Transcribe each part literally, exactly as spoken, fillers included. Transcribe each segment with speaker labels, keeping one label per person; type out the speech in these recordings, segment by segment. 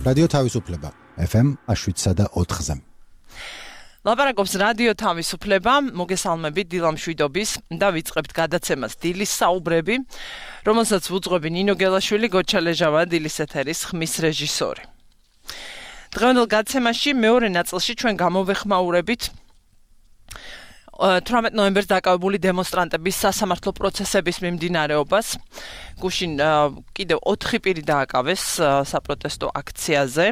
Speaker 1: რადიო თავისუფლება ეფ ემ შვიდსა და ოთხზე.
Speaker 2: ლაპარაკობს რადიო თავისუფლება, მოგესალმებით დილამ შვიდობის და ვიწყებთ გადაცემას დილის საუბრები, რომელსაც ვუძღვები ნინო გელაშვილი, გოჩალეჟავა, დილის ეთერის ხმის რეჟისორი. დღევანდელ გადაცემაში მეორე ნაწილში ჩვენ გამოვეხმაურებით თვრამეტ ნოემბერს დაკავებული დემონსტრანტების სასამართლო პროცესების მიმდინარეობას. გუშინ კიდევ ოთხი პირი დააკავეს საპროტესტო აქციაზე.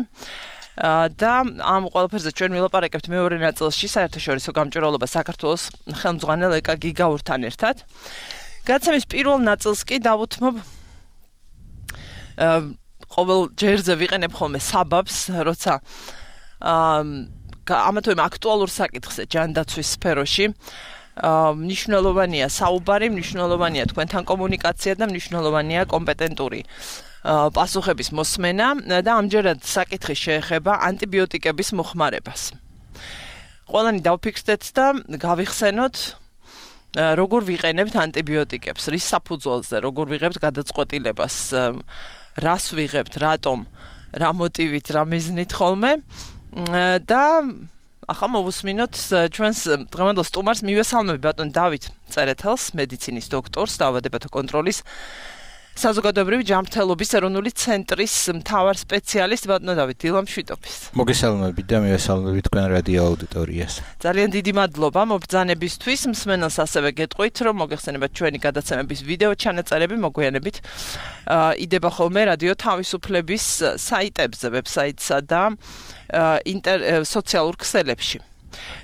Speaker 2: და ამ ყველაფერზე ჩვენ ვილაპარაკებთ მეორე ნაწილში საერთაშორისო გამჭვირვალობა საქართველოს ხელმძღვანელ ეკა გიგაურთან ერთად. გადაცემის პირველ ნაწილს კი დავუთმობ ყოველ ჯერზე ვიყენებ ხოლმე საბაბს, როცა ამა თუ იმ აქტუალურ საკითხზე ჯანდაცვის სფეროში მნიშვნელოვანია საუბარი, მნიშვნელოვანია თქვენთან კომუნიკაცია და მნიშვნელოვანია კომპეტენტური პასუხების მოსმენა და ამჯერად საკითხი შეეხება ანტიბიოტიკების მოხმარებას. ყველანი დავფიქრდეთ და გავიხსენოთ როგორ ვიყენებთ ანტიბიოტიკებს, რის საფუძველზე, როგორ ვიღებთ გადაწყვეტილებას, რას ვიღებთ, რატომ, რა მოტივით, რა მიზნით ხოლმე და ახლა მოვუსმინოთ ჩვენს დღევანდელ სტუმარს. მივესალმები ბატონ დავით წერეთელს, მედიცინის დოქტორს, დაავადებათა კონტროლის საზოგადოებრივი ჯანმრთელობის ეროვნული ცენტრის მთავარ სპეციალისტ. ბატონო დავით, დილამ შვიდობის.
Speaker 3: მოგესალმებით და მივესალმებით თქვენ რადიო აუდიტორიას.
Speaker 2: ძალიან დიდი მადლობა მობრძანებისთვის. მსმენელს ასევე გეტყვით, რომ მოგეხსენებათ ჩვენი გადაცემების ვიდეო ჩანაწერები მოგვიანებით იდება ხოლმე რადიო თავისუფლების საიტებზე, ვებსაიტსა და სოციალურ ქსელებში.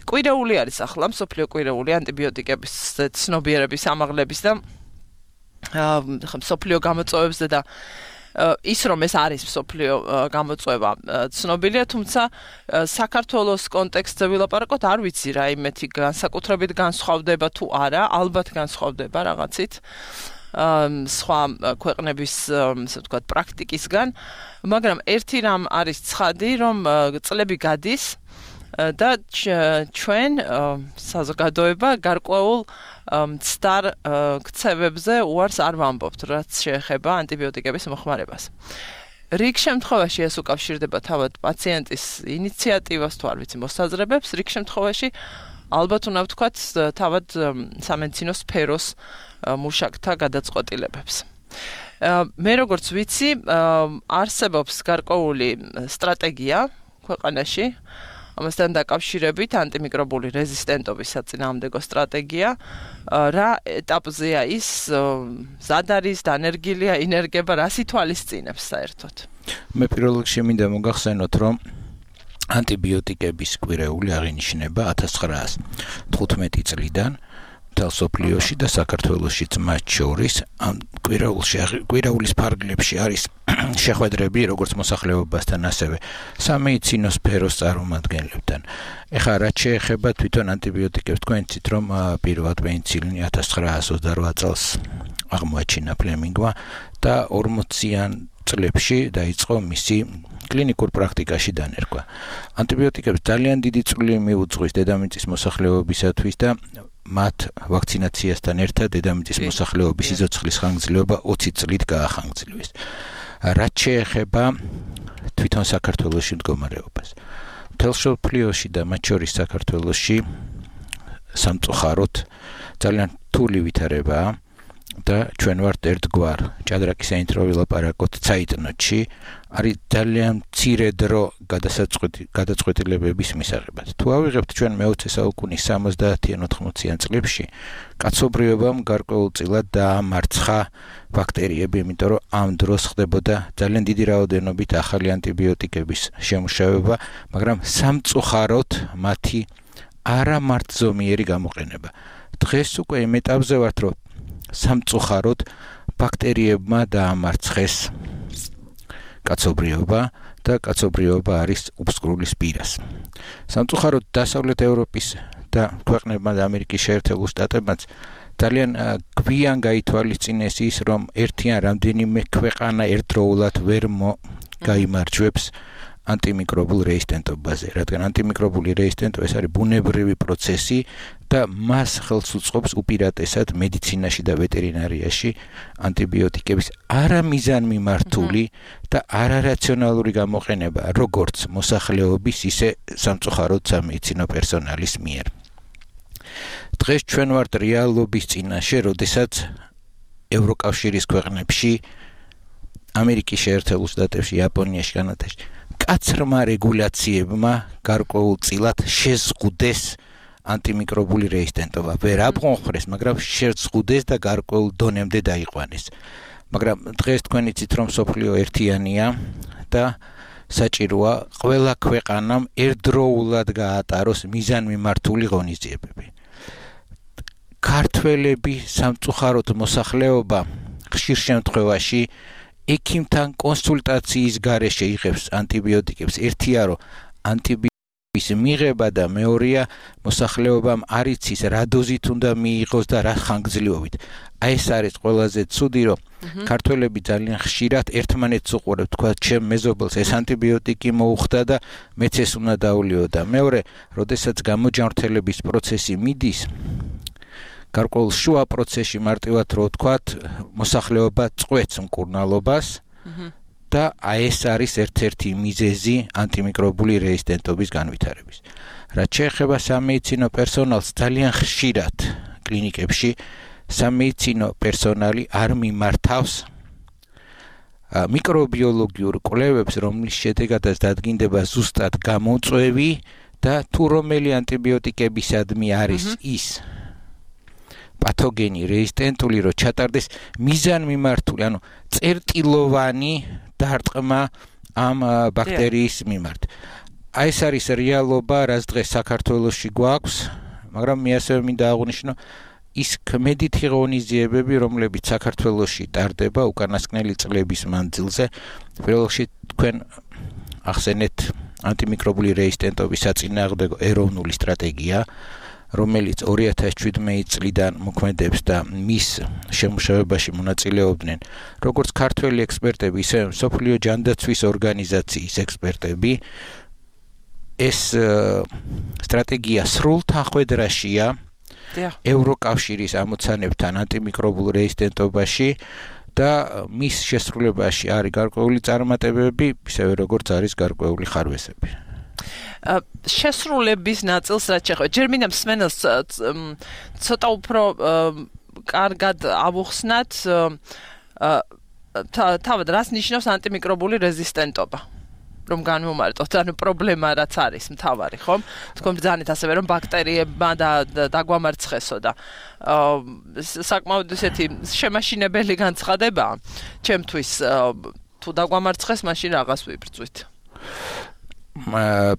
Speaker 2: კვირეული არის ახლა, მსოფლიო კვირეული ანტიბიოტიკების ცნობიერების ამაღლების და მსოფლიო გამოწვევებზე და ის რომ ეს არის მსოფლიო გამოწვევა ცნობილია, თუმცა საქართველოს კონტექსტზე ვილაპარაკოთ, არ ვიცი რა იმეთი განსაკუთრებით განსხვავდება თუ არა, ალბათ განსხვავდება რაღაცით სხვა ქვეყნების ასე ვთქვათ პრაქტიკისგან, მაგრამ ერთი რამ არის ცხადი, რომ წლები გადის და ჩვენ საზოგადოება გარკვეულ მცდარ ქცევებზე უარს არ ვამბობთ, რაც შეეხება ანტიბიოტიკების მოხმარებას. რიგ შემთხვევაში ეს უკავშირდება თავად პაციენტის ინიციატივას თუ არ ვიცი მოსაზრებებს, რიგ შემთხვევაში ალბათ უნდა ვთქვათ თავად სამედიცინო სფეროს მუშაკთა გადაწყვეტილებებს. მე როგორც ვიცი, არსებობს გარკვეული სტრატეგია ქვეყანაში, ამასთან დაკავშირებით ანტიმიკრობული რეზისტენტობის საწინააღმდეგო სტრატეგია, რა ეტაპზეა ის, მზად არის, დანერგილია, ინერგება, რას ითვალისწინებს საერთოდ?
Speaker 3: მე პირველ რიგში მინდა მოგახსენოთ, რომ ანტიბიოტიკების კვირეული აღინიშნება ათას ცხრაას თხუთმეტი წლიდან მთელ სოფლიოში და საქართველოშიც მათ შორის ამ კვირაულის ფარგლებში არის შეხვედრები როგორც მოსახლეობასთან, ასევე სამედიცინო სფეროს წარმომადგენლებთან. ეხლა რაც შეეხება თვითონ ანტიბიოტიკებს, თქვენ იცით, რომ პირველად პენიცილინი ათას ცხრაას ოცდარვა წელს აღმოაჩინა ფლემინგმა და ორმოციან წლებში დაიწყო მისი კლინიკურ პრაქტიკაში დანერგვა. ანტიბიოტიკებს ძალიან დიდი წვლილი მიუძღვის დედამიწის მოსახლეობისათვის და მათ ვაქცინაციასთან ერთად დედამიწის მოსახლეობის სიცოცხლის ხანგრძლივობა ოცი წლით გაახანგრძლივეს. რაც შეეხება თვითონ საქართველოში მდგომარეობას. მთელ მსოფლიოში და მათ შორის საქართველოში სამწუხაროდ ძალიან რთული ვითარებაა და ჩვენ ვართ ერთგვარ ჭადრაკის საინტრო ვილაპარაკოთ ცაიტნოტში, არის ძალიან მცირე დრო გადაწყვეტილებების მისაღებად. თუ ავიღებთ ჩვენ მეოცე საუკუნის სამოცდაათიან ოთხმოციან წლებში, კაცობრიობამ გარკვეულწილად დაამარცხა ბაქტერიები, იმიტომ რომ ამ დროს ხდებოდა ძალიან დიდი რაოდენობით ახალი ანტიბიოტიკების შემუშავება, მაგრამ სამწუხაროდ მათი არამართზომიერი გამოყენება. დღეს უკვე იმ ეტაპზე ვართ, რომ სამწუხაროდ ბაქტერიებმა დაამარცხეს კაცობრიობა და კაცობრიობა არის უფსკრულის პირას. სამწუხაროდ დასავლეთ ევროპის და ქვეყნებმა და ამერიკის შეერთებულ შტატებმაც ძალიან გვიან გაითვალისწინეს ის, რომ ერთი ან რამდენიმე ქვეყანა ერთდროულად ვერ გაიმარჯვებს ანტიმიკრობულ რეიზისტენტობაზე, რადგან ანტიმიკრობული რეიზისტენტობა ეს არის ბუნებრივი პროცესი და მას ხელს უწყობს უპირატესად მედიცინაში და ვეტერინარიაში ანტიბიოტიკების არამიზანმიმართული და არარაციონალური გამოყენება, როგორც მოსახლეობის, ისე სამწუხაროდ სამედიცინო პერსონალის მიერ. დღეს ჩვენ ვართ რეალობის წინაშე, როდესაც ევროკავშირის ქვეყნებში, ამერიკის შეერთებულ შტატებში, იაპონიაში, კანადაში კაცრმა რეგულაციებმა გარკვეულწილად შეზღუდეს ანტიმიკრობული რეიზისტენტობა. ვერ აბღონხრეს, მაგრამ შეზღუდეს და გარკვეულ დონემდე დაიყვანეს. მაგრამ დღეს თქვენ იცით, რომ მსოფლიო ერთიანია და საჭიროა ყველა ქვეყანამ ერთდროულად გაატაროს მიზანმიმართული ღონისძიებები. ქართველები სამწუხაროდ მოსახლეობა ხშირ შემთხვევაში ექიმთან კონსულტაციის გარეშე იღებს ანტიბიოტიკებს. ერთია რომ ანტიბიოტიკის მიღება და მეორეა მოსახლეობამ არ იცის რა დოზით უნდა მიიღოს და რა ხანგრძლივობით. აი ეს არის ყველაზე ცუდი, რომ ქართველები ძალიან ხშირად ერთმანეთს უყურებთ, თქვა ჩემ მეზობელს ეს ანტიბიოტიკი მოუხდა და მეც ეს უნდა დავლიო და მეორე, როდესაც გამოჯანმრთელების პროცესი მიდის, გარკვეულ შუა პროცესში მარტივად რო ვთქვათ, მოსახლეობა წყვეტს მკურნალობას და აი ეს არის ერთ-ერთი მიზეზი ანტიმიკრობული რეიზისტენტობის განვითარების. რაც შეეხება სამედიცინო პერსონალს, ძალიან ხშირად კლინიკებში სამედიცინო პერსონალი არ მიმართავს მიკრობიოლოგიურ კვლევებს, რომლის შედეგადაც დადგინდება ზუსტად გამოწვევი და თუ რომელი ანტიბიოტიკებისადმი არის ის პათოგენი რეიზისტენტული, რომ ჩატარდეს მიზანმიმართული, ანუ წერტილოვანი დარტყმა ამ ბაქტერიის მიმართ. აი ეს არის რეალობა, რაც დღეს საქართველოში გვაქვს, მაგრამ მე ასევე მინდა აღვნიშნო ის ქმედითი ღონისძიებები, რომლებიც საქართველოში ტარდება უკანასკნელი წლების მანძილზე, პირველ რიგში თქვენ ახსენეთ ანტიმიკრობული რეიზისტენტობის საწინააღმდეგო ეროვნული სტრატეგია, რომელიც ორი ათას შვიდმეტი წლიდან მოქმედებს და მის შემუშავებაში მონაწილეობდნენ როგორც ქართველი ექსპერტები, ისე მსოფლიო ჯანდაცვის ორგანიზაციის ექსპერტები. ეს სტრატეგია სრულ თანხმედრაშია ევროკავშირის ამოცანებთან ანტიმიკრობულ რეიზისტენტობაში და მის შესრულებაში არის გარკვეული წარმატებები, ისევე როგორც არის გარკვეული ხარვესები.
Speaker 2: შესრულების ნაწილს რაც შეეხება, ჯერ მინდა მსმენელს ცოტა უფრო კარგად ავუხსნათ თავად რას ნიშნავს ანტიმიკრობული რეზისტენტობა. რომ განვუმარტოთ, ანუ პრობლემა რაც არის მთავარი, ხომ? თქვენ ბრძანეთ ასევე რომ ბაქტერიებმა და დაგვამარცხესო და საკმაოდ ესეთი შემაშინებელი განცხადებაა. ჩემთვის თუ დაგვამარცხეს, მაშინ რაღაც ვიბრძვით.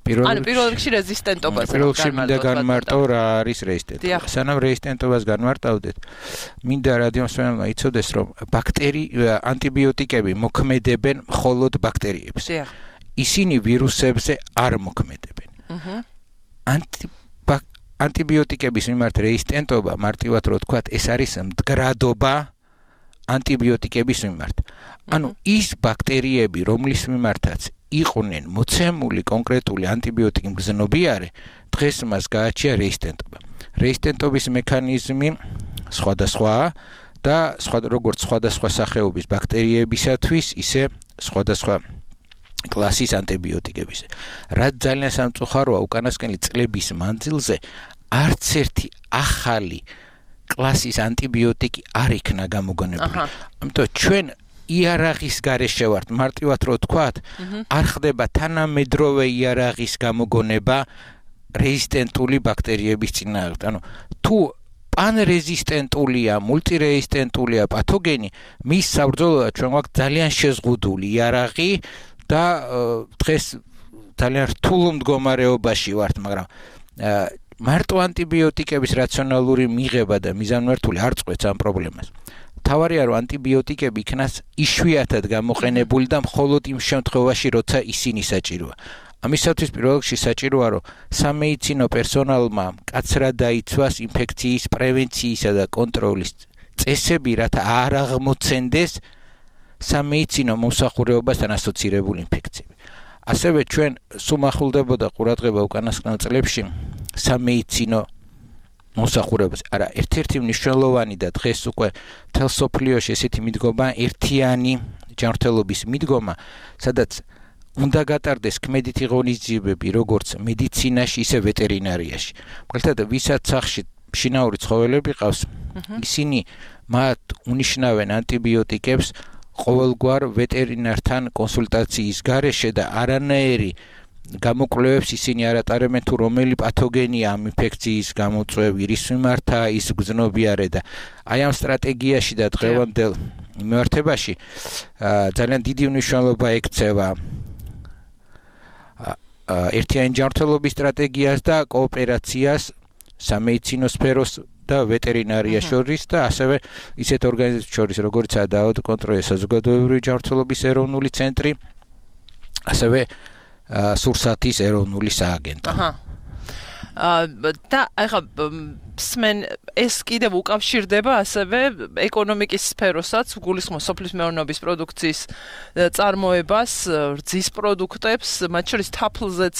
Speaker 3: პირველ
Speaker 2: პირველ რიგში რეზისტენტობას
Speaker 3: პირველ რიგში მინდა განმარტო რა არის რეზისტენტობა. სანამ რეზისტენტობას განმარტავდეთ, მინდა რადიო მსმენელმა იცოდეს, რომ ბაქტერი ანტიბიოტიკები მოქმედებენ მხოლოდ ბაქტერიებს. ისინი ვირუსებზე არ მოქმედებენ. ანტიბიოტიკების მიმართ რეზისტენტობა, მარტივად რო ვთქვათ, ეს არის მდგრადობა ანტიბიოტიკების მიმართ. ანუ ის ბაქტერიები, რომლის მიმართაც იყვნენ მოცემული კონკრეტული ანტიბიოტიკი მგზნობიარე, დღეს მას გააჩნია რეზისტენტობა. რეზისტენტობის მექანიზმი სხვადასხვაა და როგორც სხვადასხვა სახეობის ბაქტერიებისათვის, ისე სხვადასხვა კლასის ანტიბიოტიკების. რაც ძალიან სამწუხაროა, უკანასკნელი წლების მანძილზე არც ერთი ახალი კლასის ანტიბიოტიკი არ იქნა გამოგონებული. ამიტომ ჩვენ იარაღის გარეშე ვართ, მარტივად რო ვთქვათ, არ ხდება თანამედროვე იარაღის გამოგონება რეზისტენტული ბაქტერიების წინააღმდეგ. ანუ თუ პანრეზისტენტულია, მულტირეზისტენტულია პათოგენი, მის საბრძოლოდ ჩვენ გვაქვს ძალიან შეზღუდული იარაღი და დღეს ძალიან რთულ მდგომარეობაში ვართ, მაგრამ მარტო ანტიბიოტიკების რაციონალური მიღება და მიზანმიმართული არ წყვეტს ამ პრობლემას. თავარია რომ ანტიბიოტიკები იქნას იშვიათად გამოყენებული და მხოლოდ იმ შემთხვევაში, როცა ისინი საჭიროა. ამისათვის პირველ რიგში საჭიროა, რომ სამედიცინო პერსონალმა მკაცრად დაიცვას ინფექციის პრევენციისა და კონტროლის წესები, რათა არ აღმოცენდეს სამედიცინო მომსახურებასთან ასოცირებული ინფექციები. ასევე ჩვენ სუმახულდებოდა ყურადღება უკანასკნელ წლებში სამედიცინო მოსახურებას. არა, ერთ-ერთი მნიშვნელოვანი და დღეს უკვე მთელ სოფლიოში ესეთი მიდგომა, ერთიანი ჯანმრთელობის მიდგომა, სადაც უნდა გატარდეს ქმედითი ღონისძიებები როგორც მედიცინაში, ისე ვეტერინარიაში. მაგალითად, ვისაც სახში შინაური ცხოველები ყავს, ისინი მათ უნიშნავენ ანტიბიოტიკებს ყოველგვარ ვეტერინართან კონსულტაციის გარეშე და არანაირი გამოკვლევებს ისინი არ ატარებენ თუ რომელი პათოგენია ამ ინფექციის გამოწვევი, რის მიმართა ის გრძნობიარე და აი ამ სტრატეგიაში და დღევანდელ მიმართებაში ძალიან დიდი მნიშვნელობა ექცევა ერთიანი ჯანმრთელობის სტრატეგიას და კოოპერაციას სამედიცინო სფეროს და ვეტერინარია შორის და ასევე ისეთ ორგანიზაციებს შორის, როგორიცაა დაავადებათა საზოგადოებრივი ჯანმრთელობის ეროვნული ცენტრი, ასევე სურსათის ეროვნული სააგენტო.
Speaker 2: აჰა. და ახლა სმენ ეს კიდევ უკავშირდება ასევე ეკონომიკის სფეროსაც, გულისხმობს სოფლის მეურნეობის პროდუქციის წარმოებას, რძის პროდუქტებს, მათ შორის თაფლზეც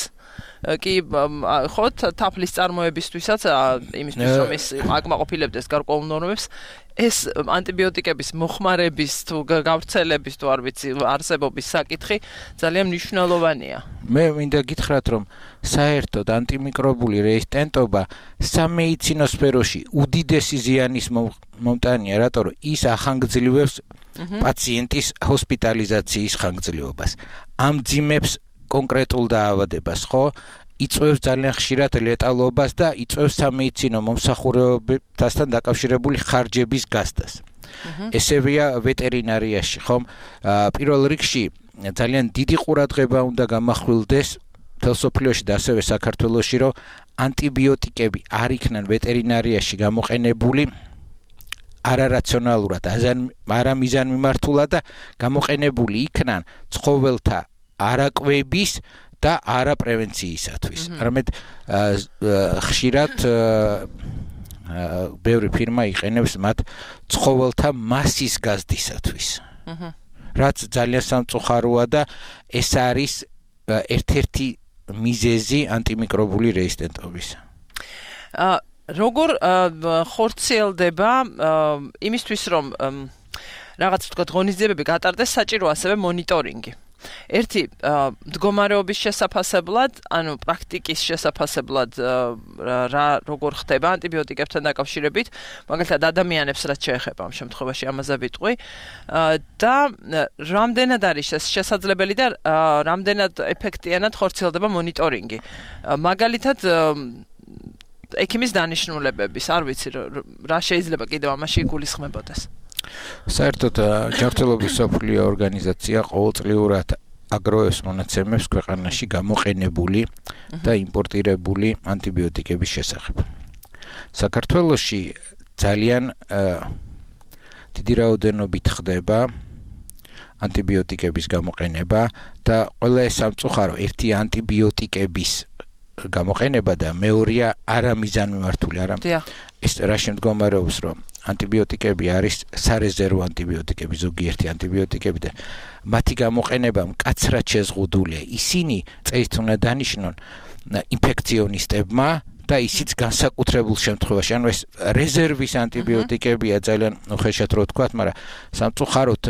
Speaker 2: კი ხო თაფლის წარმოებისთვისაც იმისთვის რომ ის აკმაყოფილებდეს გარკვეულ ნორმებს ეს ანტიბიოტიკების მოხმარების თუ გავრცელების თუ არ ვიცი არსებობის საკითხი ძალიან მნიშვნელოვანია.
Speaker 3: მე მინდა გითხრათ რომ საერთოდ ანტიმიკრობული რეზისტენტობა სამედიცინო სფეროში უდიდესი ზიანის მომტანია, რატომ რომ ის ახანგრძლივებს პაციენტის ჰოსპიტალიზაციის ხანგრძლივობას. ამძიმებს კონკრეტულ დაავადებას, ხო? იწვევს ძალიან ხშირად ლეტალობას და იწვევს სამედიცინო მომსახურებასთან დაკავშირებული ხარჯების გასდას. ესევეა ვეტერინარიაში, ხომ? პირველ რიგში ძალიან დიდი ყურადღება უნდა გამახვილდეს მთელ სოფლიოში და ასევე საქართველოში, რომ ანტიბიოტიკები არ იქნან ვეტერინარიაში გამოყენებული არარაციონალურად, არამიზანმიმართულად და გამოყენებული იქნან ცხოველთა არაკვების და არაპრევენციისათვის. არამედ ხშირად ბევრი ფირმა იყენებს მათ ცხოველთა მასის გაზდისათვის. რაც ძალიან სამწუხაროა და ეს არის ერთ-ერთი მიზეზი ანტიმიკრობული რეზისტენტობის.
Speaker 2: როგორ ხორციელდება იმისთვის რომ რაღაც ვთქვათ ღონისძიებები გატარდეს, საჭირო ასევე მონიტორინგი. ერთი მდგომარეობის შესაფასებლად, ანუ პრაქტიკის შესაფასებლად რა როგორ ხდება ანტიბიოტიკებთან დაკავშირებით, მაგალითად ადამიანებს რაც შეეხება ამ შემთხვევაში ამაზე ვიტყვი და რამდენად არის შესაძლებელი და რამდენად ეფექტიანად ხორციელდება მონიტორინგი. მაგალითად ექიმის დანიშნულებების, არ ვიცი რა შეიძლება კიდევ ამაში იგულისხმებოდეს.
Speaker 3: საერთოდ ჯანმრთელობის მსოფლიო ორგანიზაცია ყოველწლიურად აგროვებს მონაცემებს ქვეყანაში გამოყენებული და იმპორტირებული ანტიბიოტიკების შესახებ. საქართველოში ძალიან დიდი რაოდენობით ხდება ანტიბიოტიკების გამოყენება და ყველა ეს სამწუხარო ერთი ანტიბიოტიკების გამოყენება და მეორეა არამიზანმიმართული, არა ეს რა შემდგომარეობს რომ ანტიბიოტიკები არის სარეზერვო ანტიბიოტიკები, ზოგიერთი ანტიბიოტიკები და მათი გამოყენება მკაცრად შეზღუდულია. ისინი წესით უნდა დანიშნონ ინფექციონისტებმა და ისიც განსაკუთრებულ შემთხვევაში. ანუ ეს რეზერვის ანტიბიოტიკებია ძალიან უხეშად რო ვთქვათ, მაგრამ სამწუხაროდ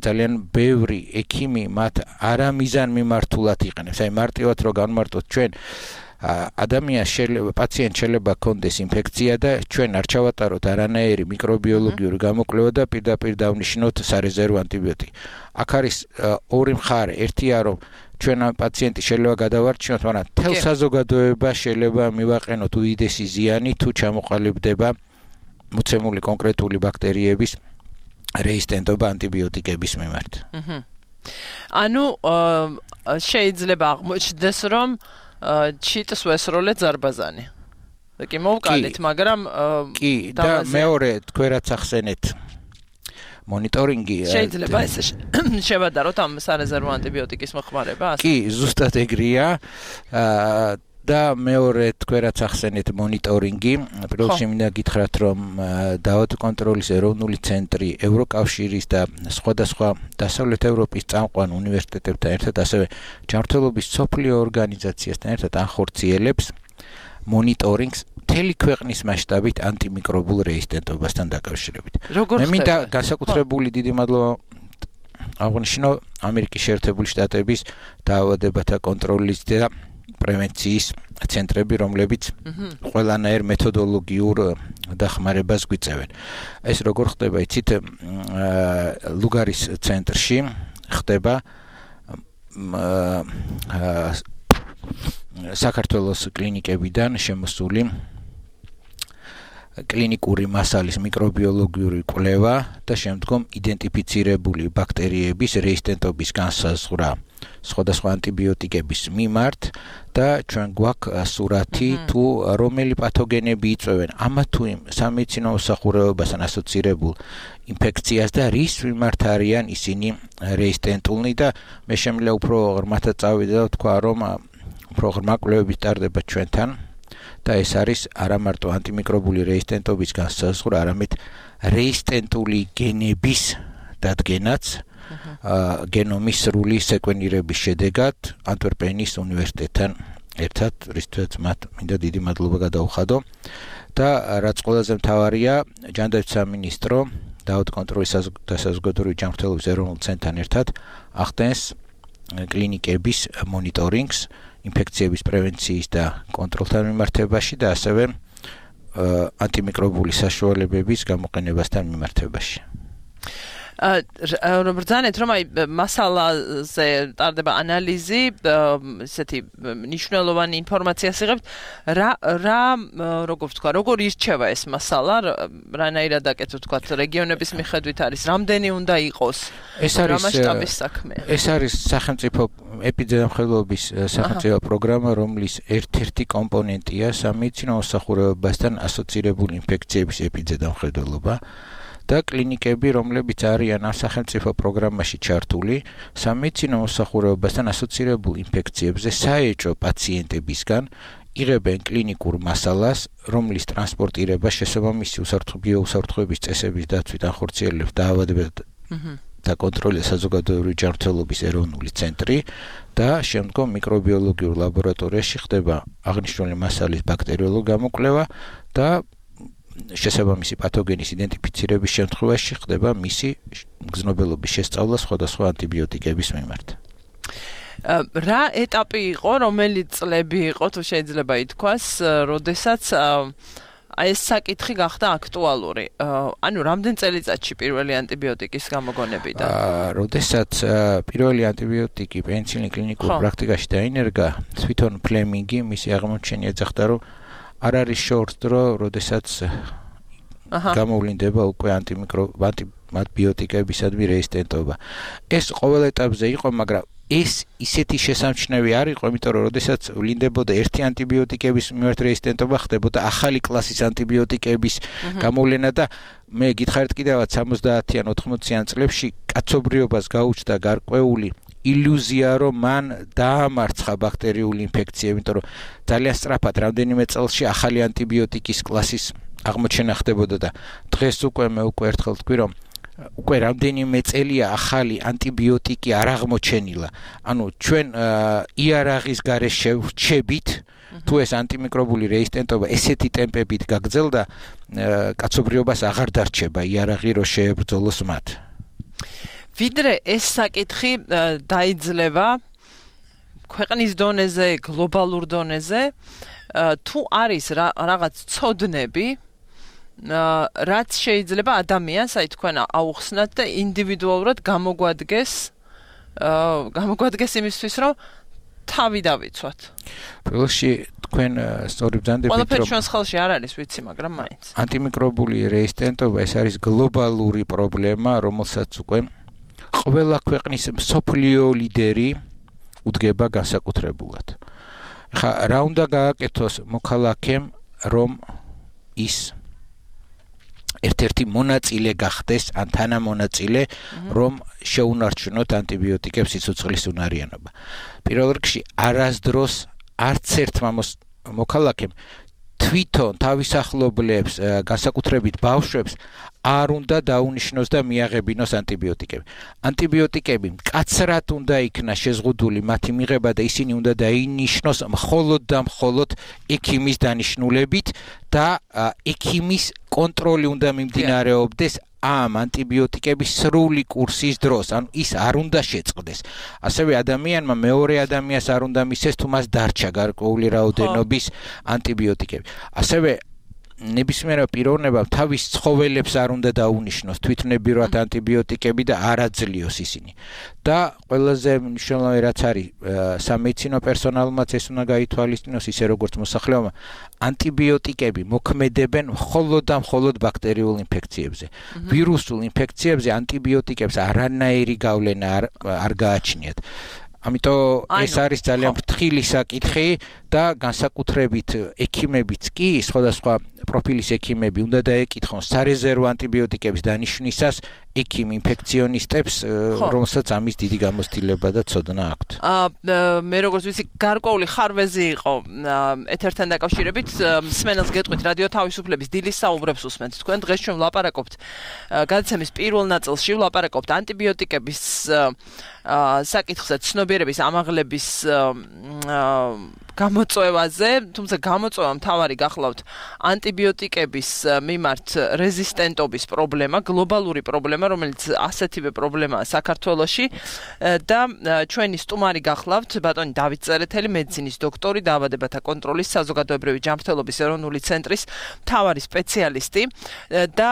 Speaker 3: ძალიან ბევრი ექიმი მათ არამიზანმიმართულად იყენებს. აი მარტივად რო განმარტოთ ჩვენ ადამიანს შეიძლება პაციენტს შეიძლება ჰქონდეს ინფექცია და ჩვენ არ ჩავატაროთ არანაირი მიკრობიოლოგიური გამოკვლევა და პირდაპირ დავნიშნოთ სარეზერვო ანტიბიოტიკი. აქ არის ორი მხარე, ერთია რომ ჩვენ ამ პაციენტის შეიძლება გადავარჩინოთ, მაგრამ თელ საზოგადოებას შეიძლება მივაყენოთ უდიდესი ზიანი თუ ჩამოყალიბდება მოცემული კონკრეტული ბაქტერიების რეზისტენტობა ანტიბიოტიკების მიმართ.
Speaker 2: ანუ შეიძლება აღმოჩნდეს რომ ჩიტს ვესროლე ზარბაზანი. კი მოვკალით, მაგრამ
Speaker 3: კი და მეორე თქვენ რაც ახსენეთ მონიტორინგი
Speaker 2: შეიძლება ეს შევადაროთ ამ სარეზერვო ანტიბიოტიკის მოხმარება?
Speaker 3: კი, ზუსტად ეგრეა. და მეორე თქვენ რაც ახსენეთ მონიტორინგი, პირველ რიგში მინდა გითხრათ, რომ დაავადებათა კონტროლის ეროვნული ცენტრი ევროკავშირის და სხვადასხვა დასავლეთ ევროპის წამყვან უნივერსიტეტებთან ერთად, ასევე ჯანმრთელობის მსოფლიო ორგანიზაციასთან ერთად ახორციელებს მონიტორინგს მთელი ქვეყნის მასშტაბით ანტიმიკრობულ რეზისტენტობასთან დაკავშირებით. მე მინდა განსაკუთრებული დიდი მადლობა აღნიშნო ამერიკის შეერთებული შტატების დაავადებათა კონტროლის და პრევენციის ცენტრები, რომლებიც ყველანაირ მეთოდოლოგიურ დახმარებას გვიწევენ. ეს როგორ ხდება, იცით, ლუგარის ცენტრში ხდება საქართველოს კლინიკებიდან შემოსული კლინიკური მასალის მიკრობიოლოგიური კვლევა და შემდგომ იდენტიფიცირებული ბაქტერიების რეზისტენტობის განსაზღვრა სხვადასხვა ანტიბიოტიკების მიმართ და ჩვენ გვაქვს სურათი თუ რომელი პათოგენები იწვევენ ამა თუ იმ სამედიცინო მოსახურეობასთან ასოცირებულ ინფექციას და რის მიმართ არიან ისინი რეზისტენტულნი და მე შემიძლია უფრო ღრმათად წავიდე და ვთქვა, რომ უფრო ღრმა კვლევები ტარდება ჩვენთან და ეს არის არა მარტო ანტიმიკრობული რეზისტენტობის განსაზღვრა, არამედ რეზისტენტული გენების დადგენაც გენომის სრული სეკვენირების შედეგად ანტვერპენის უნივერსიტეტთან ერთად, რისთვის მათ მინდა დიდი მადლობა გადაუხადო და რაც ყველაზე მთავარია, ჯანდაცვის სამინისტრო დაავადებათა კონტროლის და საზოგადოებრივი ჯანმრთელობის ეროვნულ ცენტრთან ერთად ახდენს კლინიკების მონიტორინგს ინფექციების პრევენციის და კონტროლთან მიმართებაში და ასევე ანტიმიკრობული საშუალებების გამოყენებასთან მიმართებაში.
Speaker 2: ბრძანეთ, რომ აი მასალაზე ტარდება ანალიზი, ესეთი მნიშვნელოვანი ინფორმაციას იღებთ, რა რა როგორ ვთქვა, როგორ ირჩევა ეს მასალა, რანაირად აკეთებთ, ვთქვა, რეგიონების მიხედვით არის, რამდენი უნდა იყოს, რა მასშტაბის საქმეა.
Speaker 3: ეს არის სახელმწიფო ეპიდემიოლოგიის სახელმწიფო პროგრამა, რომლის ერთ-ერთი კომპონენტია სამედიცინო მოსახურეობასთან ასოცირებული ინფექციების ეპიდემიოლოგია და კლინიკები, რომლებიც არიან ამ სახელმწიფო პროგრამაში ჩართული, სამედიცინო მოსახურეობასთან ასოცირებულ ინფექციებზე საეჭვო პაციენტებისგან იღებენ კლინიკურ მასალას, რომლის ტრანსპორტირება შესაბამისი უსაფრთხოების წესების დაცვით ახორციელებს დაავადებათა და კონტროლის საზოგადოებრივი ჯანმრთელობის ეროვნული ცენტრი და შემდგომ მიკრობიოლოგიურ ლაბორატორიაში ხდება აღნიშნული მასალის ბაქტერიოლოგიური გამოკვლევა და შესაბამისი პათოგენის იდენტიფიცირების შემთხვევაში ხდება მისი გზნობელობის შესწავლა სხვადასხვა ანტიბიოტიკების მიმართ.
Speaker 2: რა ეტაპი იყო, რომელი წლები იყო, თუ შეიძლება ითქვას, როდესაც აი ეს საკითხი გახდა აქტუალური. ანუ რამდენ წელიწადში პირველი ანტიბიოტიკის გამოგონებიდან?
Speaker 3: როდესაც პირველი ანტიბიოტიკი პენიცილინი კლინიკურ პრაქტიკაში დაინერგა, თვითონ ფლემინგი მისი აღმოჩენი ეძახდა, რომ არ არის შორს დრო, როდესაც გამოვლინდება უკვე ანტიბიოტიკებისადმი რეზისტენტობა. ეს ყოველ ეტაპზე იყო, მაგრამ ეს ისეთი შესამჩნევი არ იყო, იმიტომ რომ როდესაც ვლინდებოდა ერთი ანტიბიოტიკების მიმართ რეზისტენტობა, ხდებოდა ახალი კლასის ანტიბიოტიკების გამოვლენა და მე გითხარით კიდევაც სამოცდაათი ან ოთხმოციან წლებში კაცობრიობას გაუჩნდა გარკვეული ილუზია, რომ მან დაამარცხა ბაქტერიული ინფექციები, იმიტომ რომ ძალიან სწრაფად რამდენიმე წელში ახალი ანტიბიოტიკის კლასის აღმოჩენა ხდებოდა და დღეს უკვე მე უკვე ერთხელ ვთქვი, რომ უკვე რამდენიმე წელია ახალი ანტიბიოტიკი არ აღმოჩენილა. ანუ ჩვენ იარაღის გარეშე ვრჩებით, თუ ეს ანტიმიკრობული რეზისტენტობა ესეთი ტემპებით გაგრძელდა, კაცობრიობას აღარ დარჩება იარაღი, რომ შეებრძოლოს მათ.
Speaker 2: ვიდრე ეს საკითხი დაიძლება ქვეყნის დონეზე, გლობალურ დონეზე, თუ არის რაღაც ცოდნები, რაც შეიძლება ადამიანს, აი თქვენ აუხსნათ და ინდივიდუალურად გამოგვადგეს, გამოგვადგეს იმისთვის, რომ თავი დავიცვათ.
Speaker 3: პირველში თქვენ სწორი ბრძანდებით, რომ
Speaker 2: ყველაფერი ჩვენს ხელში არ არის, ვიცი, მაგრამ მაინც.
Speaker 3: ანტიმიკრობული რეზისტენტობა ეს არის გლობალური პრობლემა, რომელსაც უკვე ყველა ქვეყნის მსოფლიო ლიდერი უდგება განსაკუთრებულად. ხა რა უნდა გააკეთოს მოქალაქემ, რომ ის ერთ-ერთი მონაწილე გახდეს, ან თანამონაწილე, რომ შეუნარჩუნოთ ანტიბიოტიკებს სიცოცხლის უნარიანობა. პირველ რიგში არასდროს არც ერთმა მოქალაქემ თვითონ თავის ახლობლებს, განსაკუთრებით ბავშვებს არ უნდა დაუნიშნოს და მიაღებინოს ანტიბიოტიკები. ანტიბიოტიკები მკაცრად უნდა იქნა შეზღუდული მათი მიღება და ისინი უნდა დაინიშნოს მხოლოდ და მხოლოდ ექიმის დანიშნულებით და ექიმის კონტროლი უნდა მიმდინარეობდეს ამ ანტიბიოტიკების სრული კურსის დროს, ანუ ის არ უნდა შეწყდეს. ასევე ადამიანმა მეორე ადამიანს არ უნდა მისცეს თუ მას დარჩა გარკვეული რაოდენობის ანტიბიოტიკები. ასევე ნებისმიერ პიროვნებამ თავის ცხოველებს არ უნდა დაუნიშნოს თვითნებურად ანტიბიოტიკები და არ აძლიოს ისინი. და ყველაზე მნიშვნელოვანი რაც არის სამედიცინო პერსონალმაც ეს უნდა გაითვალისწინოს ისე როგორც მოსახლეობამ ანტიბიოტიკები მოქმედებენ მხოლოდ და მხოლოდ ბაქტერიულ ინფექციებზე. ვირუსულ ინფექციებზე ანტიბიოტიკებს არანაირი გავლენა არ, არ გააჩნიათ. ამიტომ ეს არის ძალიან ფრთხილი საკითხი და განსაკუთრებით ექიმებიც კი სხვადასხვა პროფილის ექიმები უნდა დაეკითხონ სარეზერვო ანტიბიოტიკების დანიშნისას ექიმ ინფექციონისტებს, რომელსაც ამის დიდი გამოცდილება და ცოდნა აქვთ.
Speaker 2: მე როგორც ვიცი, გარკვეული ხარვეზი იყო ეთერთან დაკავშირებით, მსმენელს გეტყვით რადიო თავისუფლების დილის საუბრებს უსმენთ. თქვენ დღეს ჩვენ ვლაპარაკობთ გადაცემის პირველ ნაწილში ვლაპარაკობთ ანტიბიოტიკების საკითხზე, ცნობიერების ამაღლების გამოწვევაზე, თუმცა გამოწვევა მთავარი გახლავთ ანტიბიოტიკების მიმართ რეზისტენტობის პრობლემა, გლობალური პრობლემა, რომელიც ასეთივე პრობლემაა საქართველოში და ჩვენი სტუმარი გახლავთ ბატონი დავით წერეთელი, მედიცინის დოქტორი, დაავადებათა კონტროლის საზოგადოებრივი ჯანმრთელობის ეროვნული ცენტრის მთავარი სპეციალისტი და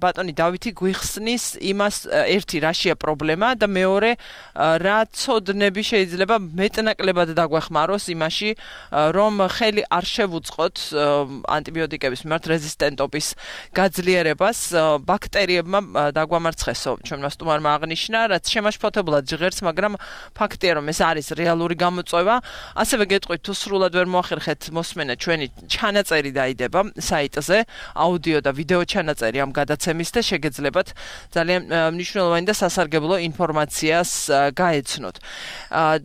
Speaker 2: ბატონი დავითი გვიხსნის იმას ერთი რაშია პრობლემა და მეორე რა ცოდნები შეიძლება მეტნაკლებად დაგვეხმაროს იმაში რომ ხელი არ შევუწყოთ ანტიბიოტიკების მიმართ რეზისტენტობის გაძლიერებას ბაქტერიებმა დაგვამარცხესო. ჩვენმა სტუმარმა აღნიშნა, რაც შემაშფოთებულად ჟღერს, მაგრამ ფაქტია რომ ეს არის რეალური გამოწვევა. ასევე გეტყვით თუ სრულად ვერ მოახერხეთ მოსმენა ჩვენი ჩანაწერი დაიდება საიტზე, აუდიო და ვიდეო ჩანაწერი ამ გადაცემის და შეგეძლებათ ძალიან მნიშვნელოვანი და სასარგებლო ინფორმაციას გაეცნოთ.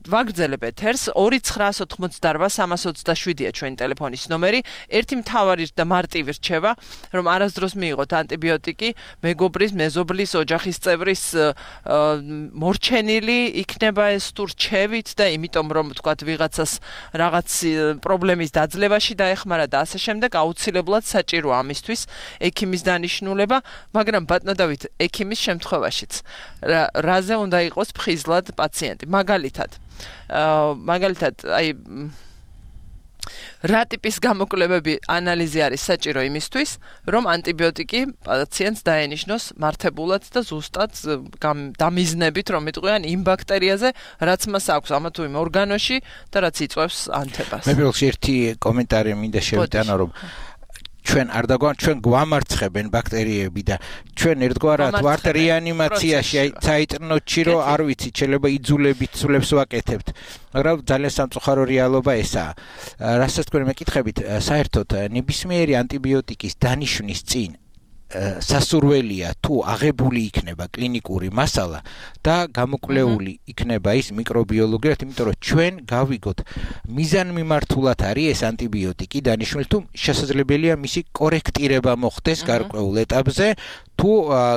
Speaker 2: ვაგრძელებ ეთერს ორი ცხრაას ოთხმოცდარბა სამას ოცდაშვიდია ჩვენი ტელეფონის ნომერი. ერთი მთავარი და მარტივი რჩება, რომ არასდროს მიიღოთ ანტიბიოტიკი მეგობრის, მეზობლის, ოჯახის წევრის მორჩენილი იქნება ეს თუ რჩევით და იმიტომ რომ თქვათ ვიღაცას რაღაც პრობლემის დაძლევაში დაეხმარა და ასე შემდეგ აუცილებლად საჭიროა ამისთვის ექიმის დანიშნულება, მაგრამ ბატონო დავით, ექიმის შემთხვევაშიც რაზე უნდა იყოს ფხიზლად პაციენტი? მაგალითად, მაგალითად, აი რა ტიპის გამოკვლევები ანალიზი არის საჭირო იმისთვის, რომ ანტიბიოტიკი პაციენტს დაენიშნოს მართებულად და ზუსტად დამიზნებით, რომ იტყვიან იმ ბაქტერიაზე, რაც მას აქვს ამა თუ იმ ორგანოში და რაც იწვევს ანთებას.
Speaker 3: მე პირველში ერთი კომენტარი მინდა შევიტანო, რომ ჩვენ არ დაგვან ჩვენ გვამარცხებენ ბაქტერიები და ჩვენ ერთგვარად ვართ რეანიმაციაში, აი საიტნოთში რომ არ ვიცი, შეიძლება იძულებით სულებს ვაკეთებთ. მაგრამ ძალიან სამწუხარო რეალობა ესაა. რასაც თქვენ მეკითხებით, საერთოდ ნებისმიერი ანტიბიოტიკის დანიშნვის წინ სასურველია თუ აღებული იქნება კლინიკური მასალა და გამოკვლეული იქნება ის მიკრობიოლოგიურად, იმიტომ რომ ჩვენ გავიგოთ მიზანმიმართულად არის ეს ანტიბიოტიკი დანიშნული თუ შესაძლებელია მისი კორექტირება მოხდეს გარკვეულ ეტაპზე თუ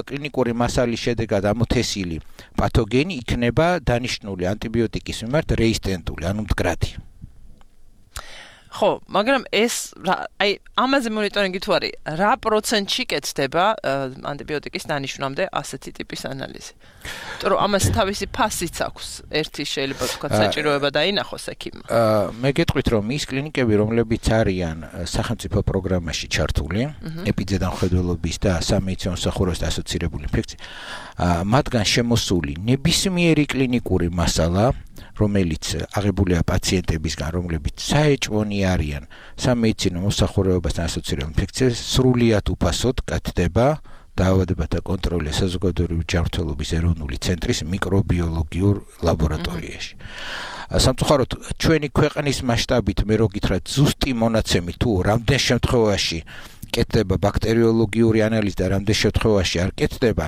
Speaker 3: კლინიკური მასალის შედეგად ამოთესილი პათოგენი იქნება დანიშნული ანტიბიოტიკის მიმართ რეზისტენტული, ანუ მდგრადი.
Speaker 2: ხო, მაგრამ ეს აი ამაზე მონიტორინგი თუ არის, რა პროცენტში კეთდება ანტიბიოტიკის დანიშნვამდე ასეთი ტიპის ანალიზი? იმიტომ რომ ამას თავისი ფასიც აქვს. ერთი შეიძლება თქვა საჭიროება დაინახოს ექიმმა.
Speaker 3: მე გეტყვით რომ ის კლინიკები, რომლებიც არიან სახელმწიფო პროგრამაში ჩართული, ეპიდემიოლოგიის და სამედიცინო მსახურებასთან ასოცირებული ინფექცია, მათგან შემოსული ნებისმიერი კლინიკური მასალა, რომელიც აღებულია პაციენტებისგან, რომლებიც საეჭვონი არიან სამედიცინო მოსახურებასთან ასოცირებული ინფექციას, სრულიად უფასოდ გათდება დაავადებათა კონტროლის საზოგადოებრივი ჯანმრთელობის ეროვნული ცენტრის მიკრობიოლოგიურ ლაბორატორიაში. სამწუხაროდ, ჩვენი ქვეყნის მასშტაბით მე რო გითხრათ, ზუსტი მონაცემი თუ რამდენ შემთხვევაში კეთდება ბაქტერიოლოგიური ანალიზი და რამდენ შემთხვევაში არ კეთდება,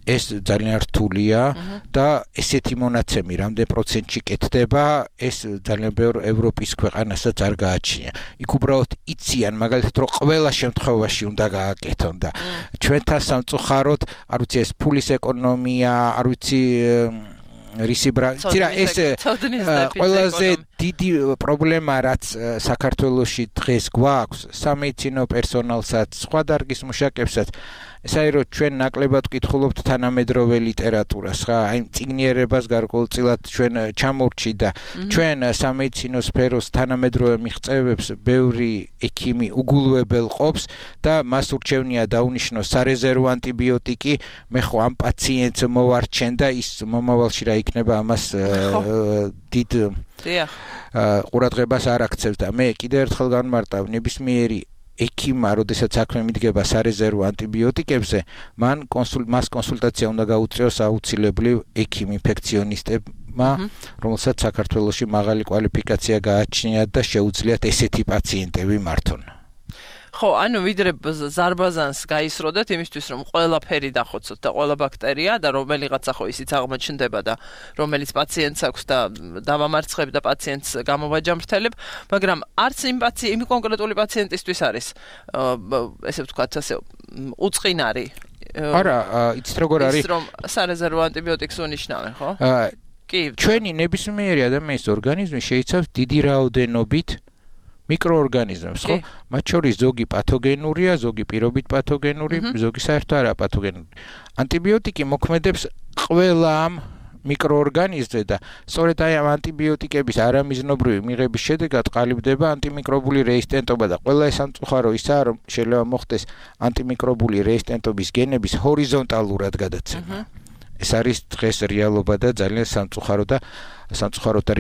Speaker 3: ეს ძალიან რთულია და ესეთი მონაცემი რამდენ პროცენტში კეთდება, ეს ძალიან ბევრ ევროპის ქვეყანასაც არ გააჩნია. იქ უბრალოდ იციან მაგალითად რომ ყველა შემთხვევაში უნდა გააკეთონ და ჩვენთან სამწუხაროდ არ ვიცი ეს ფულის ეკონომია, არ ვიცი რისიბრა, ცირა ეს ყველაზე დიდი პრობლემა რაც საქართველოში დღეს გვაქვს სამედიცინო პერსონალსაც, სხვა დარგის მუშაკებსაც ეს არის რომ ჩვენ ნაკლებად ვკითხულობთ თანამედროვე ლიტერატურას, ხა, აი მწიგნიერებას გარკვეულწილად ჩვენ ჩამორჩი და ჩვენ სამედიცინო სფეროს თანამედროვე მიღწევებს ბევრი ექიმი უგულვებელ ყოფს და მას ურჩევნია დაუნიშნოს სარეზერვო ანტიბიოტიკი, მე ხო ამ პაციენტს მოვარჩენ და ის მომავალში რა იქნება ამას დიდ ყურადღებას არ აქცევს და მე კიდევ ერთხელ განმარტავ ნებისმიერი ექიმმა, როდესაც საქმე მიდგება სარეზერვო ანტიბიოტიკებზე, მან კონსულ მას კონსულტაცია უნდა გაუწიოს აუცილებლივ ექიმ ინფექციონისტებმა, რომელსაც საქართველოში მაღალი კვალიფიკაცია გააჩნიათ და შეუძლიათ ესეთი პაციენტები მართონ.
Speaker 2: ხო, ანუ ვიდრე ზარბაზანს გაისროდეთ იმისთვის რომ ყველაფერი დახოცოთ და ყველა ბაქტერია და რომელიღაცა ხო ისიც აღმოჩნდება და რომელიც პაციენტს აქვს და დავამარცხებ და პაციენტს გამოვაჯამრთელებ, მაგრამ არც იმ პაციენტ იმ კონკრეტული პაციენტისთვის არის ესე ვთქვათ ასე უწყინარი.
Speaker 3: არა, იცით როგორ არის?
Speaker 2: ის რომ სარეზერვო ანტიბიოტიკს უნიშნავენ, ხო? კი.
Speaker 3: ჩვენი ნებისმიერი ადამიანის ორგანიზმი შეიცავს დიდი რაოდენობით მიკროორგანიზმებს, ხო? მათ შორის ზოგი პათოგენურია, ზოგი პირობით პათოგენური, ზოგი საერთოდ არა პათოგენური. ანტიბიოტიკი მოქმედებს ყველა ამ მიკროორგანიზმზე და სწორედ აი ამ ანტიბიოტიკების არამიზნობრივი მიღების შედეგად ყალიბდება ანტიმიკრობული რეზისტენტობა და ყველა ეს სამწუხარო ისაა, რომ შეიძლება მოხდეს ანტიმიკრობული რეზისტენტობის გენების ჰორიზონტალურად გადაცემა. ეს არის დღეს რეალობა და ძალიან სამწუხარო და სამწუხარო და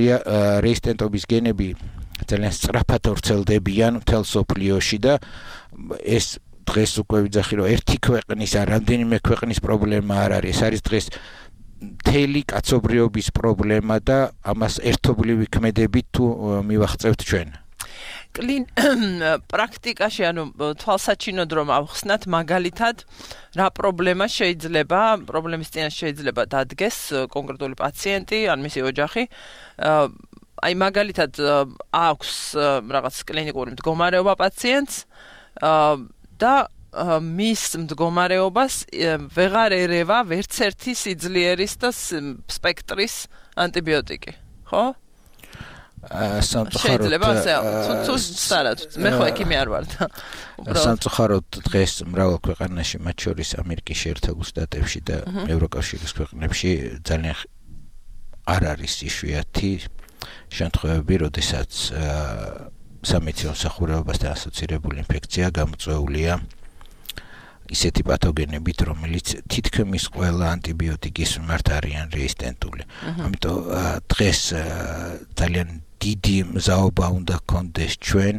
Speaker 3: რეზისტენტობის გენები ძალიან სწრაფად ვრცელდებიან მთელ სოფლიოში და ეს დღეს უკვე ვიძახი რომ ერთი ქვეყნის არ რამდენიმე ქვეყნის პრობლემა არ არის, ეს არის დღეს მთელი კაცობრიობის პრობლემა და ამას ერთობლივი ქმედებით თუ მივახწევთ ჩვენ.
Speaker 2: კლინ პრაქტიკაში ანუ თვალსაჩინოდ რომ ავხსნათ მაგალითად რა პრობლემა შეიძლება პრობლემის წინაშე შეიძლება დადგეს კონკრეტული პაციენტი ან მისი ოჯახი აი მაგალითად აქვს რაღაც კლინიკური მდგომარეობა პაციენტს და მის მდგომარეობას ვეღარ ერევა ვერც ერთი სიძლიერის და სპექტრის ანტიბიოტიკი, ხო?
Speaker 3: სამწუხაროდ
Speaker 2: მე ხო ექიმი არ ვარ და
Speaker 3: სამწუხაროდ დღეს მრავალ ქვეყანაში, მათ შორის ამერიკის შეერთებულ შტატებში და ევროკავშირის ქვეყნებში ძალიან არ არის იშვიათი შემთხვევები, როდესაც სამედიცინო მსახურებასთან ასოცირებული ინფექცია გამოწვეულია ისეთი პათოგენებით, რომელიც თითქმის ყველა ანტიბიოტიკის მიმართ არიან რეზისტენტული. ამიტომ დღეს ძალიან დიდი მზაობა უნდა გქონდეს ჩვენ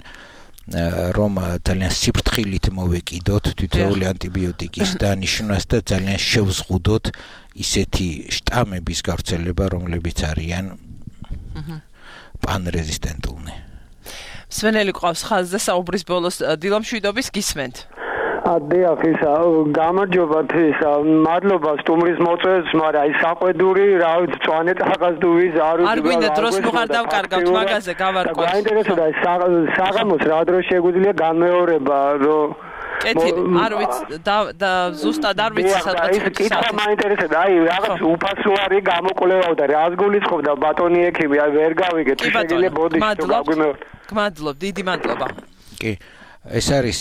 Speaker 3: რომ ძალიან სიფრთხილით მოვეკიდოთ თითოეული ანტიბიოტიკის დანიშნვას და ძალიან შევზღუდოთ ისეთი შტამების გავრცელება, რომლებიც არიან პანრეზისტენტულნი.
Speaker 2: სვენელი ყავს ხაზზე საუბრის ბოლოს დილამშვიდობის გისმენთ.
Speaker 4: დიახ, ისა გამარჯობა ისა მადლობა სტუმრის მოწვევს, მაგრამ აი საყვედური რა ვიცი წვანე ტახასდუვის არ
Speaker 2: არ გვინდა დროს მოხარ დავკარგავთ მაგაზე გავარკვევთ.
Speaker 4: გაინტერესებდა საღამოს რა დრო შეგვიძლია განმეორება რომ
Speaker 2: კეთილი არ ვიცი და ზუსტად არ ვიცი სადღაც
Speaker 4: კითხვა მაინტერესებდა აი რაღაც უფასო არის გამოკვლევაო და რას გულისხმობდა ბატონი ექიმი აი ვერ გავიგეთ შეგიძლია ბოდიში
Speaker 2: გაგვიმეორ გმადლობ დიდი მადლობა
Speaker 3: კი ეს არის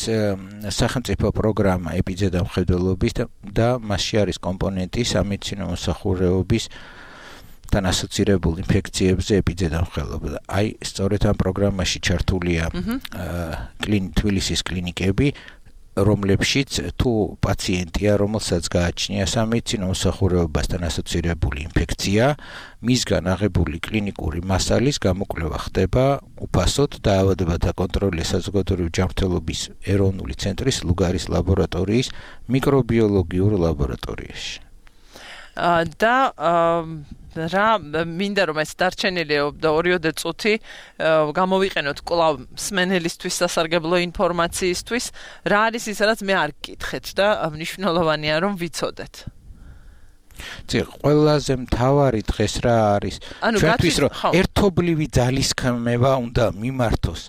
Speaker 3: სახელმწიფო პროგრამა ეპიდემიოლოგიის და მასში არის კომპონენტი სამედიცინო მოსახურეობის თან ასოცირებულ ინფექციებზე ეპიდემიოლოგია. აი სწორედ ამ პროგრამაში ჩართულია თბილისის კლინიკები, რომლებშიც თუ პაციენტია, რომელსაც გააჩნია სამედიცინო მოსახურეობასთან ასოცირებული ინფექცია, მისგან აღებული კლინიკური მასალის გამოკვლევა ხდება უფასოდ და ავადმყოფთა კონტროლის საზოგადოებრივი ჯანმრთელობის ეროვნული ცენტრის ლუგარის ლაბორატორიის მიკრობიოლოგიურ ლაბორატორიაში.
Speaker 2: და რა მინდა რომ ეს დარჩენილი ორიოდე წუთი გამოვიყენოთ კვლავ მსმენელისთვის სასარგებლო ინფორმაციისთვის, რა არის ის, რაც მე არ გკითხეთ და მნიშვნელოვანია რომ ვიცოდეთ.
Speaker 3: წი ყველაზე მთავარი დღეს რა არის ჩვენთვის რომ ერთობლივი ძალისხმევა უნდა მიმართოს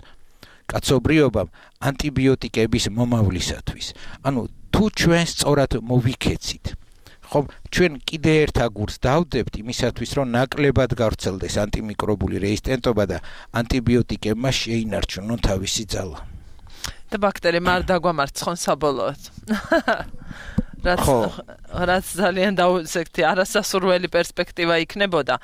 Speaker 3: კაცობრიობამ ანტიბიოტიკების მომავლისათვის ანუ თუ ჩვენ სწორად მოვიქეცით ხო ჩვენ კიდე ერთ აგურს დავდებთ იმისათვის რომ ნაკლებად გავრცელდეს ანტიმიკრობული რეზისტენტობა და ანტიბიოტიკებმა შეინარჩუნონ თავისი ძალა
Speaker 2: და ბაქტერიებმა არ დაგვამარცხონ საბოლოოდ რაც რაც ძალიან დაუსექტი არასასურველი პერსპექტივა იქნებოდა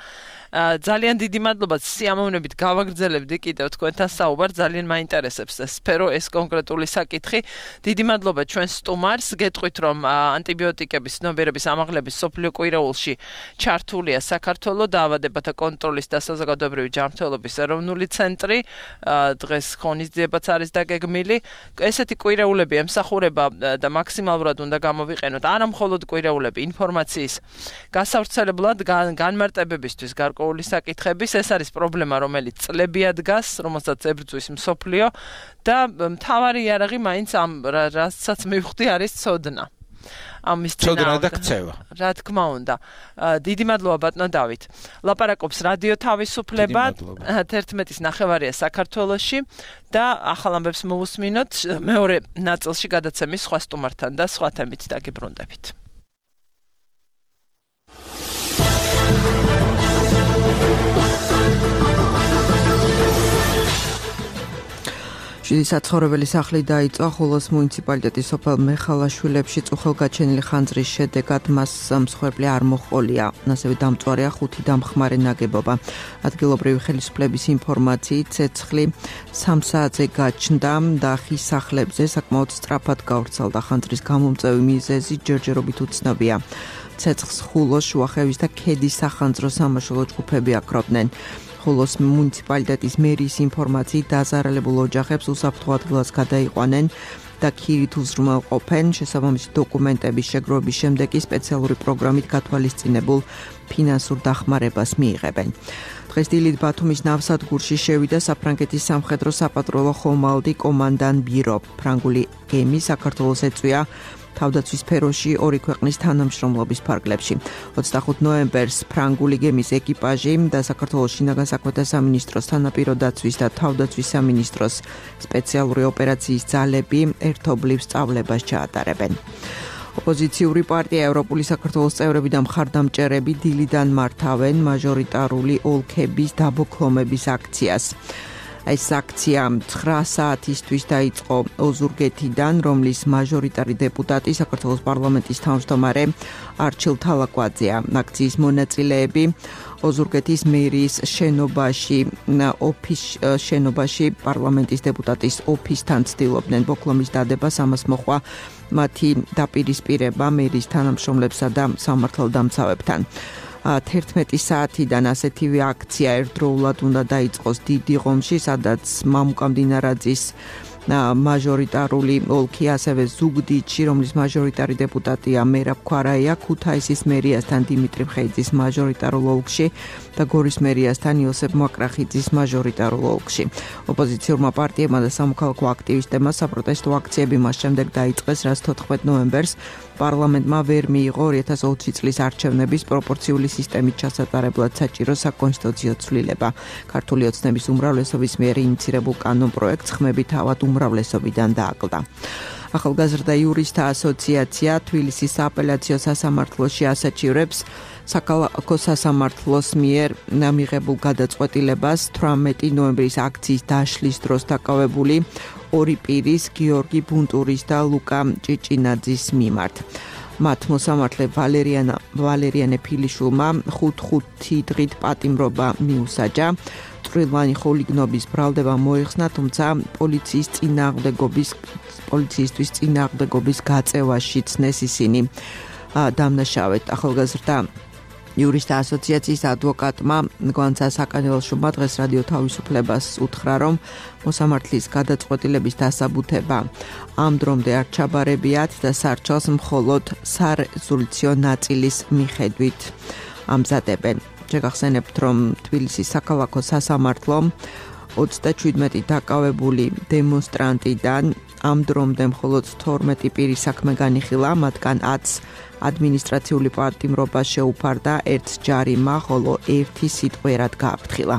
Speaker 2: ძალიან დიდი მადლობა სიამოვნებით გავაგრძელებდი კიდევ თქვენთან საუბარ ძალიან მაინტერესებს ეს სფერო ეს კონკრეტული საკითხი დიდი მადლობა ჩვენ სტუმარს გეტყვით რომ ანტიბიოტიკების ცნობიერების ამაღლების სოფლიო კვირაულში ჩართულია საქართველოს დაავადებათა კონტროლის და საზოგადოებრივი ჯანმრთელობის ეროვნული ცენტრი დღეს ღონისძიებაც არის დაგეგმილი ესეთი კვირაულები ემსახურება და მაქსიმალურად უნდა გამოვიყენოთ არა მხოლოდ კვირაულები ინფორმაციის გასავრცელებლად განმარტებებისთვის გარკვეული საკითხების ეს არის პრობლემა რომელიც წლებია დგას რომელსაც ებრძვის მსოფლიო და მთავარი იარაღი მაინც ამ რასაც მივხვდი არის ცოდნა ამის
Speaker 3: ცოდნა და ქცევა
Speaker 2: რა თქმა უნდა დიდი მადლობა ბატონო დავით ლაპარაკობს რადიო თავისუფლება თერთმეტის ნახევარია საქართველოში და ახალ ამბებს მოვუსმინოთ მეორე ნაწილში გადაცემის სხვა სტუმართან და სხვა თემით დაგიბრუნდებით
Speaker 5: შვიდი საცხოვრებელი სახლი დაიწვა ხულოს მუნიციპალიტეტის სოფელ მეხალაშვილებში წუხელგაჩენილი ხანძრის შედეგად მას მსხვერპლი არ მოჰყოლია. ასევე დამწვარია ხუთი დამხმარე ნაგებობა. ადგილობრივი ხელისუფლების ინფორმაციით ცეცხლი სამ საათზე გაჩნდა და ხის სახლებზე საკმაოდ სწრაფად გავრცელდა. ხანძრის გამომწვევი მიზეზი ჯერჯერობით უცნობია. ცეცხლს ხულოს, შუახევის და ქედის სახანძრო სამაშველო ჯგუფები აკრობდნენ. ხულოს მუნიციპალიტეტის მერიის ინფორმაციით დაზარალებულ ოჯახებს უსაფრთხო ადგილას გადაიყვანენ და ქირით უზრუნველყოფენ შესაბამისი დოკუმენტების შეგროვების შემდეგ კი სპეციალური პროგრამით გათვალისწინებულ ფინანსურ დახმარებას მიიღებენ. დღეს დილით ბათუმის ნავსადგურში შევიდა საფრანგეთის სამხედრო საპატრულო ხომალდი კომანდან ბირო. ფრანგული გემი საქართველოს ეწვია თავდაცვის სფეროში ორი ქვეყნის თანამშრომლობის ფარგლებში. ოცდახუთი ნოემბერს ფრანგული გემის ეკიპაჟი და საქართველოს შინაგან საქმეთა სამინისტროს თანაპირო დაცვის და თავდაცვის სამინისტროს სპეციალური ოპერაციის ძალები ერთობლივ სწავლებას ჩაატარებენ. ოპოზიციური პარტია ევროპული საქართველოს წევრები და მხარდამჭერები დილიდან მართავენ მაჟორიტარული ოლქების დაბოქლომების აქციას. ეს აქცია ცხრა საათისთვის დაიწყო ოზურგეთიდან, რომლის მაჟორიტარი დეპუტატი საქართველოს პარლამენტის თავმჯდომარე არჩილ თალაკვაძეა. აქციის მონაწილეები ოზურგეთის მერიის შენობაში, ოფის შენობაში პარლამენტის დეპუტატის ოფისთან ცდილობდნენ ბოქლომის დადებას, ამას მოყვა მათი დაპირისპირება მერიის თანამშრომლებსა და სამართალდამცავებთან. თერთმეტი საათიდან ასეთივე აქცია ერთდროულად უნდა დაიწყოს დიდი ღომში, სადაც მამუკა მდინარაძის მაჟორიტარული ოლქი, ასევე ზუგდიდში, რომლის მაჟორიტარი დეპუტატია მერაბ ქვარაია, ქუთაისის მერიასთან დიმიტრი მხეიძის მაჟორიტარულ ოლქში და გორის მერიასთან იოსებ მაკრახიძის მაჟორიტარულ ოლქში. ოპოზიციურმა პარტიებმა და სამოქალაქო აქტივისტებმა საპროტესტო აქციები მას შემდეგ დაიწყეს, რაც თოთხმეტი ნოემბერს პარლამენტმა ვერ მიიღო ორი ათას ოცი წლის არჩევნების პროპორციული სისტემით ჩასატარებლად საჭირო საკონსტიტუციო ცვლილება. ქართული ოცნების უმრავლესობის მიერ ინიცირებულ კანონპროექტს ხმები თავად უმრავლესობიდან დააკლდა. ახალგაზრდა იურისტთა ასოციაცია თბილისის სააპელაციო სასამართლოში ასაჩივრებს საქალაქო სასამართლოს მიერ მიღებულ გადაწყვეტილებას თვრამეტი ნოემბრის აქციის დაშლის დროს დაკავებული ორი პირის, გიორგი ბუნტურის და ლუკა ჭიჭინაძის მიმართ. მათ მოსამართლე ვალერიანა ვალერიანე ფილიშვილმა ხუთ-ხუთი დღით პატიმრობა მიუსაჯა. წვრილმანი ხულიგნობის ბრალდება მოიხსნა, თუმცა პოლიციის წინააღმდეგობის პოლიციისთვის წინააღმდეგობის გაწევაში ცნეს ისინი დამნაშავედ. ახალგაზრდა იურისტთა ასოციაციის ადვოკატმა გვანცა საკანელშუბა დღეს რადიო თავისუფლებას უთხრა, რომ მოსამართლის გადაწყვეტილების დასაბუთება ამ დრომდე არ ჩაბარებიათ და სარჩელს მხოლოდ სარეზოლუციო ნაწილის მიხედვით ამზადებენ. შეგახსენებთ, რომ თბილისის საქალაქო სასამართლომ ოცდაშვიდმეტი დაკავებული დემონსტრანტიდან ამ დრომდე მხოლოდ თორმეტი პირის საქმე განიხილა, მათგან ათს ადმინისტრაციული პატიმრობა შეუფარდა ერთ ჯარიმმა, ხოლო ერთი სიტყვიერად გააფრთხილა.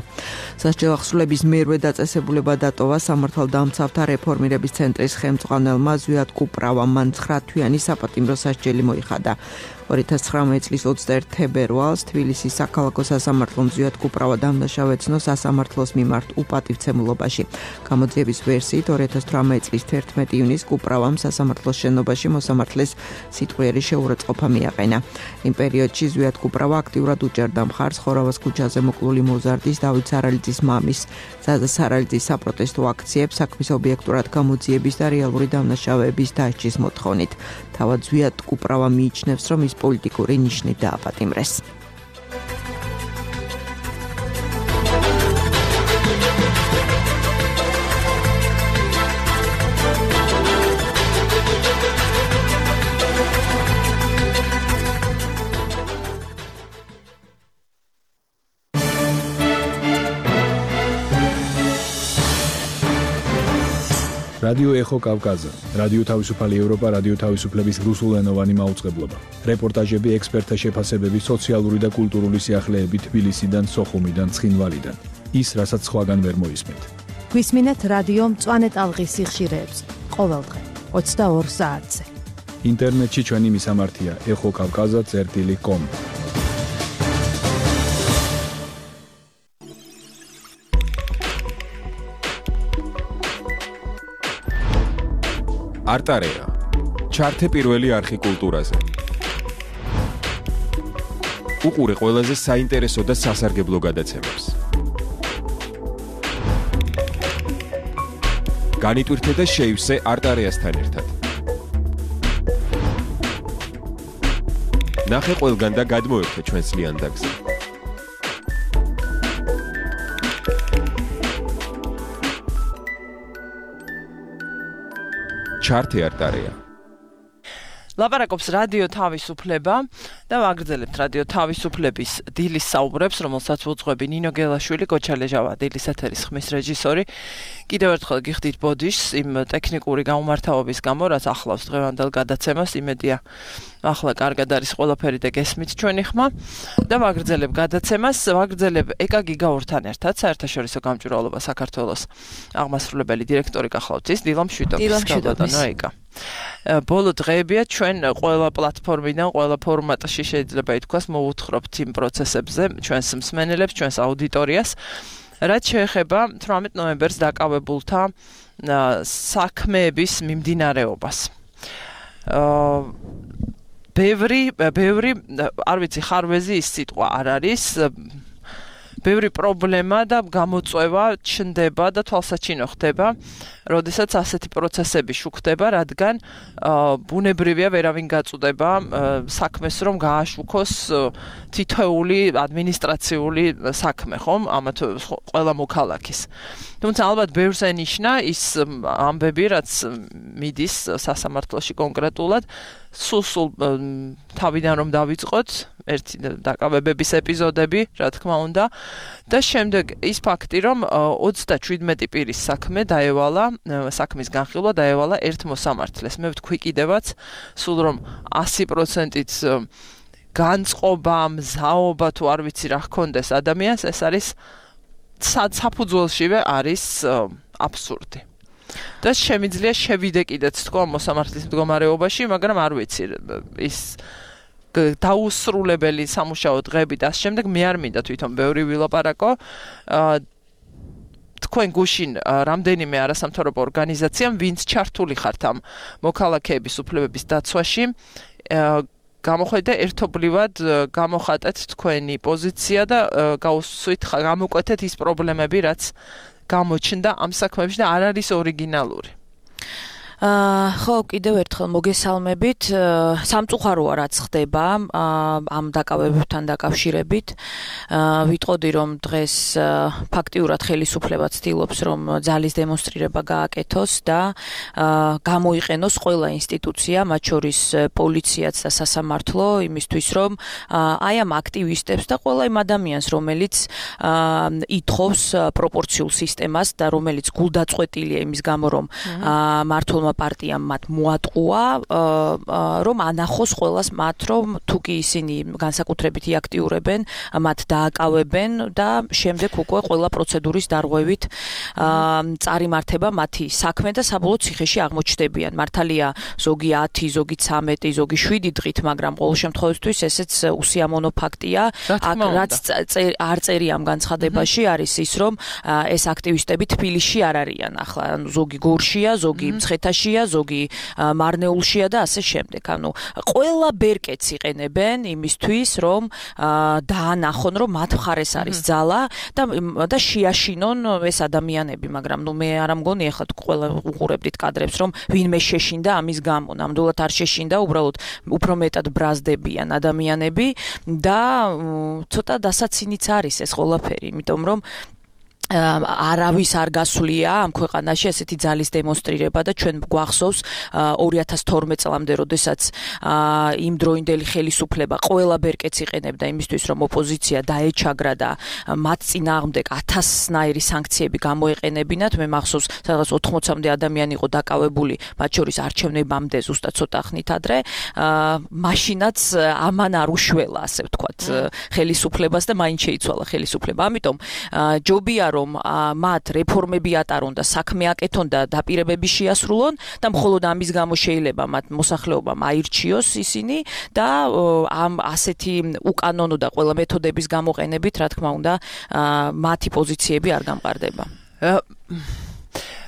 Speaker 5: სასჯელ ახსულების მერვე დაწესებულება დატოვა სამართალდამცავთა რეფორმირების ცენტრის ხელმძღვანელმა ზვიად კუპრავამ, მან ცხრა თვიანი საპატიმრო სასჯელი მოიხადა. ორი ათას ცხრამეტ წლის ოცდაერთი თებერვალს თბილისის საქალაქო სასამართლომ ზვიად კუპრავა დამნაშავე ეცნო სასამართლოს მიმართ უპატივცემულობაში. გამოძიების ვერსიით ორი ათას თვრამეტ წლის თერთმეტი ივნისს კუპრავამ სასამართლოს შენობაში მოსამართლეს სიტყვიერი შეურაცხყოფა მიაყენა. იმ პერიოდში ზვიად კუპრავა აქტიურად უჭერდა მხარს ხორავას ქუჩაზე მოკლული მოზარდის, დავით სარალიძის მამის, ზაზა სარალიძის საპროტესტო აქციებს საქმის ობიექტურად გამოძიების და რეალური დამნაშავეების დასჯის მოთხოვნით. თავად ზვიად კუპრავა მიიჩნევს, რომ ის პოლიტიკური ნიშნით დააპატიმრეს.
Speaker 6: რადიო ეხო კავკაზა, რადიო თავისუფალი ევროპა, რადიო თავისუფლების რუსულენოვანი მაუწყებლობა. რეპორტაჟები, ექსპერტთა შეფასებები, სოციალური და კულტურული სიახლეები თბილისიდან, სოხუმიდან, ცხინვალიდან. ის, რასაც სხვაგან ვერ მოისმენთ.
Speaker 7: გვისმინეთ რადიო მწვანე ტალღის სიხშირეებს ყოველდღე ოცდაორ საათზე.
Speaker 6: ინტერნეტში ჩვენი მისამართია ეხო კავკაზა წერტილი კომ.
Speaker 8: არტარეა. ჩართე პირველი არხი კულტურაზე. უყურე ყველაზე საინტერესო და სასარგებლო გადაცემებს. განიტვირთე და შეივსე არტარეასთან ერთად. ნახე ყველგან და გადმოერთე ჩვენს ლიანდაგზე. ჩართე არტარეა.
Speaker 2: ლაპარაკობს რადიო თავისუფლება და ვაგრძელებთ რადიო თავისუფლების დილის საუბრებს, რომელსაც უძღვები ნინო გელაშვილი, გოჩა ლეჟავა, დილის ეთერის ხმის რეჟისორი. კიდევ ერთხელ გიხდით ბოდიშს იმ ტექნიკური გაუმართავობის გამო, რაც ახლავს დღევანდელ გადაცემას, იმედია ახლა კარგად არის ყველაფერი და გესმით ჩვენი ხმა და ვაგრძელებ გადაცემას, ვაგრძელებ ეკა გიგაურთან ერთად, საერთაშორისო გამჭვირვალობა საქართველოს აღმასრულებელი დირექტორი გახლავთ ის დილა მშვიდობის. ეკა. ბოლო დღეებია ჩვენ ყველა პლატფორმიდან, ყველა ფორმატში შეიძლება ითქვას მოვუთხრობთ იმ პროცესებზე ჩვენს მსმენელებს, ჩვენს აუდიტორიას, რაც შეეხება თვრამეტ ნოემბერს დაკავებულთა საქმეების მიმდინარეობას. აა ბევრი, ბევრი, არ ვიცი, ხარვეზი ის სიტყვა არ არის, ბევრი პრობლემა და გამოწვევა ჩნდება და თვალსაჩინო ხდება, როდესაც ასეთი პროცესები შუქდება, რადგან ბუნებრივია ვერავინ გაწუდება საქმეს, რომ გააშუქოს თითოეული ადმინისტრაციული საქმე, ხომ? ამათ ყველა მოქალაქის. თუმცა ალბათ ბევრს ენიშნა ის ამბები, რაც მიდის სასამართლოში კონკრეტულად, სულ-სულ თავიდან რომ დავიწყოთ, ერთი დაკავებების ეპიზოდები, რა თქმა უნდა, და შემდეგ ის ფაქტი, რომ ოცდაშვიდმეტი პირის საქმე დაევალა, საქმის განხილვა დაევალა ერთ მოსამართლეს. მე ვთქვი კიდევაც, სულ რომ ასი პროცენტით განწყობა, მზაობა თუ არ ვიცი რა ჰქონდეს ადამიანს, ეს არის საფუძველშივე არის აბსურდი. და შემიძლია შევიდე კიდეც თქო მოსამართლის მდგომარეობაში, მაგრამ არ ვიცი ის დაუსრულებელი სამუშაო დღეები და შემდეგ მე არ მინდა თვითონ ბევრი ვილაპარაკო. თქვენ გუშინ რამდენიმე არასამთავრობო ორგანიზაციამ, ვინც ჩართული ხართ ამ მოქალაქეების უფლებების დაცვაში, გამოხედე ერთობლივად გამოხატეთ თქვენი პოზიცია და გაუსვით გამოკვეთეთ ის პრობლემები, რაც გამოჩნდა ამ საქმეებში და არ არის ორიგინალური.
Speaker 9: ხო, კიდევ ერთხელ მოგესალმებით. სამწუხაროა რაც ხდება ამ დაკავებებთან დაკავშირებით. ვიტყოდი რომ დღეს ფაქტიურად ხელისუფლება ცდილობს რომ ძალის დემონსტრირება გააკეთოს და გამოიყენოს ყველა ინსტიტუცია, მათ შორის პოლიციაც და სასამართლო, იმისთვის რომ აი ამ აქტივისტებს და ყველა იმ ადამიანს, რომელიც ითხოვს პროპორციულ სისტემას და რომელიც გულდაწყვეტილია იმის გამო რომ მართლმა პარტიამ მათ მოატყუა რომ ანახოს ყველას მათ რომ თუ კი ისინი განსაკუთრებით აქტიურებენ მათ დააკავებენ და შემდეგ უკვე ყველა პროცედურის დარღვევით წარიმართება მათი საქმე და საბოლოოდ ციხეში აღმოჩნდებიან. მართალია ზოგი ათი, ზოგი ცამეტი, ზოგი შვიდი დღით, მაგრამ ყოველ შემთხვევაში ესეც უსიამოვნო ფაქტია. რაც არ წერია ამ განცხადებაში არის ის რომ ეს აქტივისტები თბილისში არ არიან ახლა. ანუ ზოგი გორშია, ზოგი მცხეთაშია, ზოგი მარნეულშია და ასე შემდეგ. ანუ ყველა ბერკეტს იყენებენ იმისთვის რომ დაანახონ რომ მათ მხარეს არის ძალა და და შეაშინონ ეს ადამიანები, მაგრამ ნუ მე არ ამგონი ახლა ყველა უყურებდით კადრებს რომ ვინმე შეშინდა ამის გამო. ნამდვილად არ შეშინდა, უბრალოდ უფრო მეტად ბრაზდებიან ადამიანები და ცოტა დასაცინიც არის ეს ყველაფერი, იმიტომ რომ არავის არ გასულია ამ ქვეყანაში ესეთი ძალის დემონსტრირება და ჩვენ გვახსოვს ორი ათას თორმეტ წლამდე, როდესაც იმ დროინდელი ხელისუფლება ყველა ბერკეტს იყენებდა იმისთვის, რომ ოპოზიცია დაეჩაგრა და მათ წინააღმდეგ ათასნაირი სანქციები გამოეყენებინათ. მე მახსოვს, სადღაც ოთხმოცამდე ადამიანი იყო დაკავებული, მათ შორის არჩევნებამდე ზუსტად ცოტა ხნით ადრე. მაშინაც ამან არ უშველა, ასე ვთქვათ, ხელისუფლებას და მაინც შეიცვალა ხელისუფლება. ამიტომ ჯობია რომ მათ რეფორმები ატარონ და საქმე აკეთონ და დაპირებები შეასრულონ და მხოლოდ ამის გამო შეიძლება მათ მოსახლეობამ აირჩიოს ისინი და ამ ასეთი უკანონო და ყველა მეთოდების გამოყენებით, რა თქმა უნდა, მათი პოზიციები არ გამყარდება.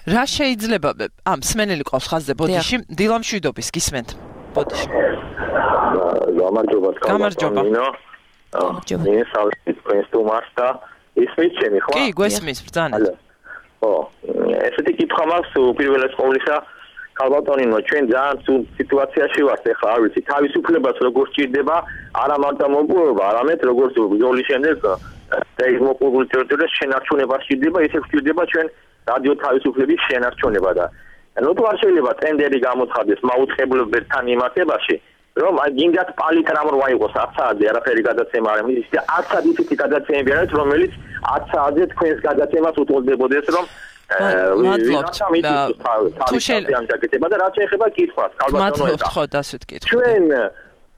Speaker 2: რა შეიძლება ამ სმენელი ყავს ხაზზე ბოდიში, დილამ შვიდობის გისმენთ ბოდიში.
Speaker 10: გამარჯობა.
Speaker 2: გამარჯობა.
Speaker 10: მე სალით პრინსტუმარს და ისმის ჩემი ხო?
Speaker 2: კი, გვესმის ბრძანეთ.
Speaker 10: ხო, ესეთი კითხვა მაქვს უპირველეს ყოვლისა, ქალბატონინო, ჩვენ ძალიან სულ სიტუაციაში ვართ ახლა, არ ვიცი, თავისუფლებას როგორ სჭირდება, არა მარტო მოპოვება, არამედ როგორც ბრძოლის შემდეგ და ის მოპოვებული ტერიტორიას შენარჩუნება სჭირდება, ისე სჭირდება ჩვენ რადიო თავისუფლების შენარჩუნება და ნუ თუ არ შეიძლება ტენდერი გამოცხადდეს მაუწყებლობებთან მიმართებაში, რომ გინდათ პალიტრამ რო აიღოს ათ საათზე არაფერი გადაცემა არ არის და ათ საათი ისეთი გადაცემები არის რომელიც ათ საათზე თქვენს გადაცემას უტოლდებოდეს რომ
Speaker 2: მადლობთ თუ
Speaker 10: შეიძლება და რაც ეხება კითხვას
Speaker 2: მადლობთ ხო დასვით კითხვა
Speaker 10: ჩვენ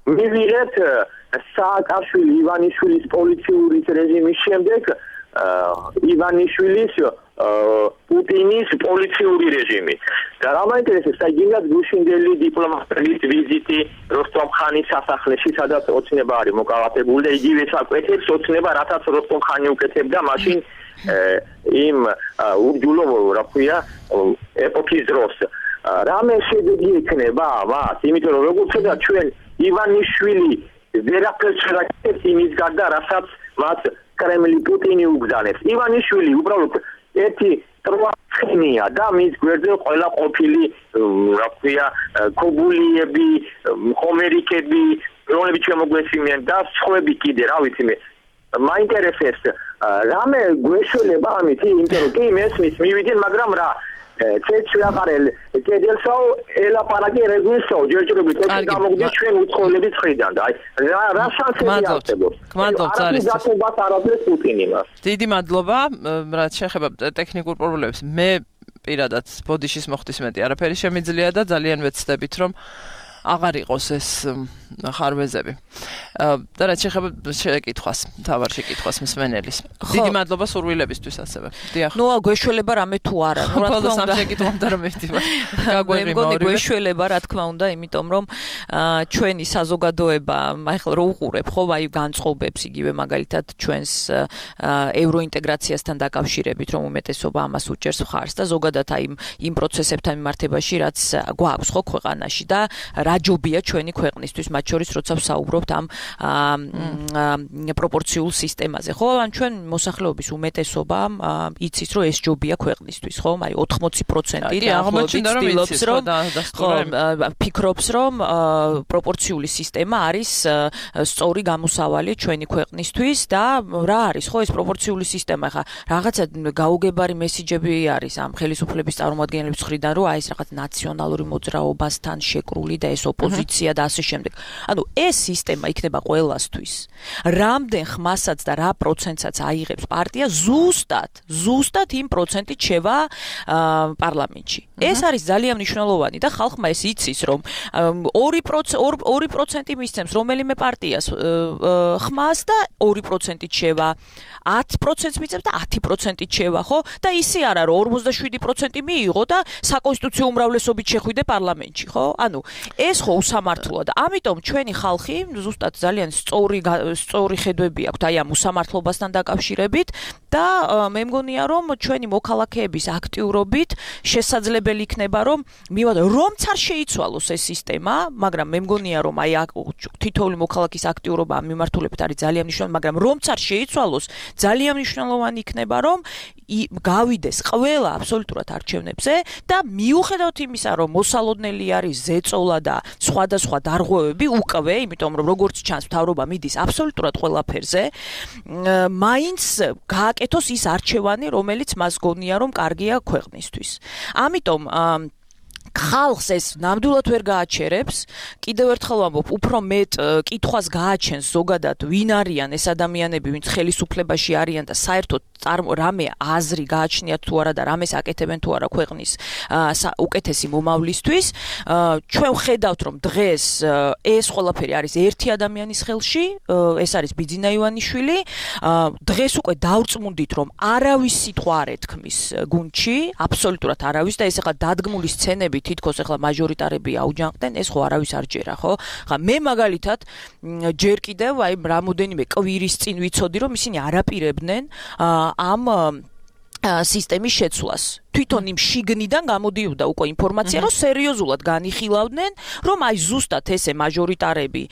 Speaker 10: მივიღეთ სააკაშვილი ივანიშვილის პოლიციური რეჟიმის შემდეგ ივანიშვილის პუტინის პოლიციური რეჟიმი. და რა მაინტერესებს, აი გინდათ გუშინდელი დიპლომატების ვიზიტი როსტომ-ხანის სასახლეში, სადაც ოცნება არის მოკავათებული და იგივე საკვეთებს ოცნება, რათაც როსტომ-ხანი უკეთებდა მაშინ იმ ურჯულო, რა ქვია, ეპოქის დროს. რამე შედეგი ექნება მას, იმიტომ რომ როგორც ვთქვა, ჩვენ ივანიშვილი ვერაფერს ვერ აკეთებს იმის გარდა, რასაც მას კრემლი პუტინი უგზავნებს. ივანიშვილი უბრალოდ ერთი ტროაცქნია და მის გვერდზე ყველა ყოფილი, რა ქვია, ქობულიები, ხომერიკები, რომლებიც შემოგვესიმიან და სხვები კიდე, რა ვიცი მე. მაინტერესებს, რამე გვეშველება ამით, იმიტომ რომ კი მესმის მივიდნენ, მაგრამ რა ცეც ვიაყარელ კედელსაო ელაპარაკე რეგულსაო ჯერჯერობით ეს გამოგდის ჩვენ უცხოელების მხრიდან და აი რა შანსები არსებობს.
Speaker 2: გმადლობთ არის
Speaker 10: გასულბას არაფერს პუტინი მას.
Speaker 2: დიდი მადლობა, რაც შეეხება ტექნიკურ პრობლემებს. მე პირადად ბოდიშის მოხდისმეტი არაფერი შემიძლია და ძალიან ვეცდებით რომ აღარ იყოს ეს ხარვეზები. და რაც შეეხება შეკითხვას, თავარ შეკითხვას მსმენელის. დიდი მადლობა სურვილებისთვის ასევე. დიახ.
Speaker 9: ნუ გვეშველება რამე თუ არა,
Speaker 2: ნუ რა თქმა უნდა შეკითხვამდე რომ მივდივარ. გაგვეღიმა ორივე.
Speaker 9: გვეშველება რა თქმა უნდა, იმიტომ რომ ჩვენი საზოგადოება, ახლა რო უყურებ, ხო, აი განწყობებს იგივე მაგალითად ჩვენს ევროინტეგრაციასთან დაკავშირებით, რომ უმეტესობა ამას უჭერს მხარს და ზოგადად აი იმ პროცესებთან მიმართებაში, რაც გვაქვს ხო ქვეყანაში და რა ჯობია ჩვენი ქვეყნისთვის, მათ შორის როცა ვსაუბრობთ ამ პროპორციულ სისტემაზე, ხო? ან ჩვენ მოსახლეობის უმეტესობა იცის, რომ ეს ჯობია ქვეყნისთვის, ხო? აი ოთხმოცი პროცენტი
Speaker 2: აღმოჩნდა რომ
Speaker 9: ფიქრობს, რომ პროპორციული სისტემა არის სწორი გამოსავალი ჩვენი ქვეყნისთვის და რა არის, ხო, ეს პროპორციული სისტემა, ხა რაღაცა გაუგებარი მესიჯები არის ამ ხელისუფლების წარმომადგენლების მხრიდან, რომ აი ეს რაღაც ნაციონალური მოძრაობასთან შეკრული და ეს ეს ოპოზიცია და ასე შემდეგ. ანუ ეს სისტემა იქნება ყველასთვის. რამდენ ხმასაც და რა პროცენტსაც აიღებს პარტია ზუსტად, ზუსტად იმ პროცენტით შევა პარლამენტში. ეს არის ძალიან მნიშვნელოვანი და ხალხმა ეს იცის, რომ ორი პროცენტი მისცემს რომელიმე პარტიას ხმას და ორი პროცენტით შევა, ათი პროცენტს მიწევს და ათი პროცენტით შევა, ხო? და ისე არა, რომ ორმოცდაშვიდი პროცენტი მიიღო და საკონსტიტუციო უმრავლესობით შეხვიდე პარლამენტში, ხო? ანუ ეს ხო უსამართლოა და ამიტომ ჩვენი ხალხი ზუსტად ძალიან სწორი სწორი ხედვები აქვს აი ამ უსამართლობასთან დაკავშირებით და მე მგონია რომ ჩვენი მოქალაქეების აქტიურობით შესაძლებელი იქნება რომ მივად რომც არ შეიცვალოს ეს სისტემა, მაგრამ მე მგონია რომ აი თითოეული მოქალაქის აქტიურობა ამ მიმართულებით არის ძალიან მნიშვნელოვანი, მაგრამ რომც არ შეიცვალოს ძალიან მნიშვნელოვანი იქნება რომ გავიდეს ყველა აბსოლუტურად არჩევნებზე და მიუხედავად იმისა რომ მოსალოდნელი არის ზეწოლა და სხვადასხვა დარღვევები უკვე, იმიტომ რომ როგორც ჩანს მთავრობა მიდის აბსოლუტურად ყველაფერზე, მაინც გააკეთოს ის არჩევანი, რომელიც მას გონია რომ კარგია ქვეყნისთვის. ამიტომ ხალხს ეს ნამდვილად ვერ გააჩერებს, კიდევ ერთხელ ვამბობ, უფრო მეტ კითხვას გააჩენს ზოგადად ვინ არიან ეს ადამიანები, ვინც ხელისუფლებაში არიან და საერთოდ რამე აზრი გააჩნიათ თუ არა და რამეს აკეთებენ თუ არა ქვეყნის უკეთესი მომავლისთვის. ჩვენ ვხედავთ რომ დღეს ეს ყველაფერი არის ერთი ადამიანის ხელში, ეს არის ბიძინა ივანიშვილი. დღეს უკვე დავრწმუნდით რომ არავის სიტყვა არ ეთქმის გუნდში, აბსოლუტურად არავის და ეს ახლა დადგმული სცენები თითქოს ახლა მაჟორიტარები აუჯანყდნენ, ეს ხო არავის არ ჯერა, ხო? ხა მე მაგალითად ჯერ კიდევ აი რამოდენიმე კვირის წინ ვიცოდი რომ ისინი არაპირებდნენ ამ სისტემის შეცვლას. თვითონ იმ შიგნიდან გამოდიოდა უკვე ინფორმაცია, რომ სერიოზულად განიხილავდნენ, რომ აი ზუსტად ესე მაჟორიტარები,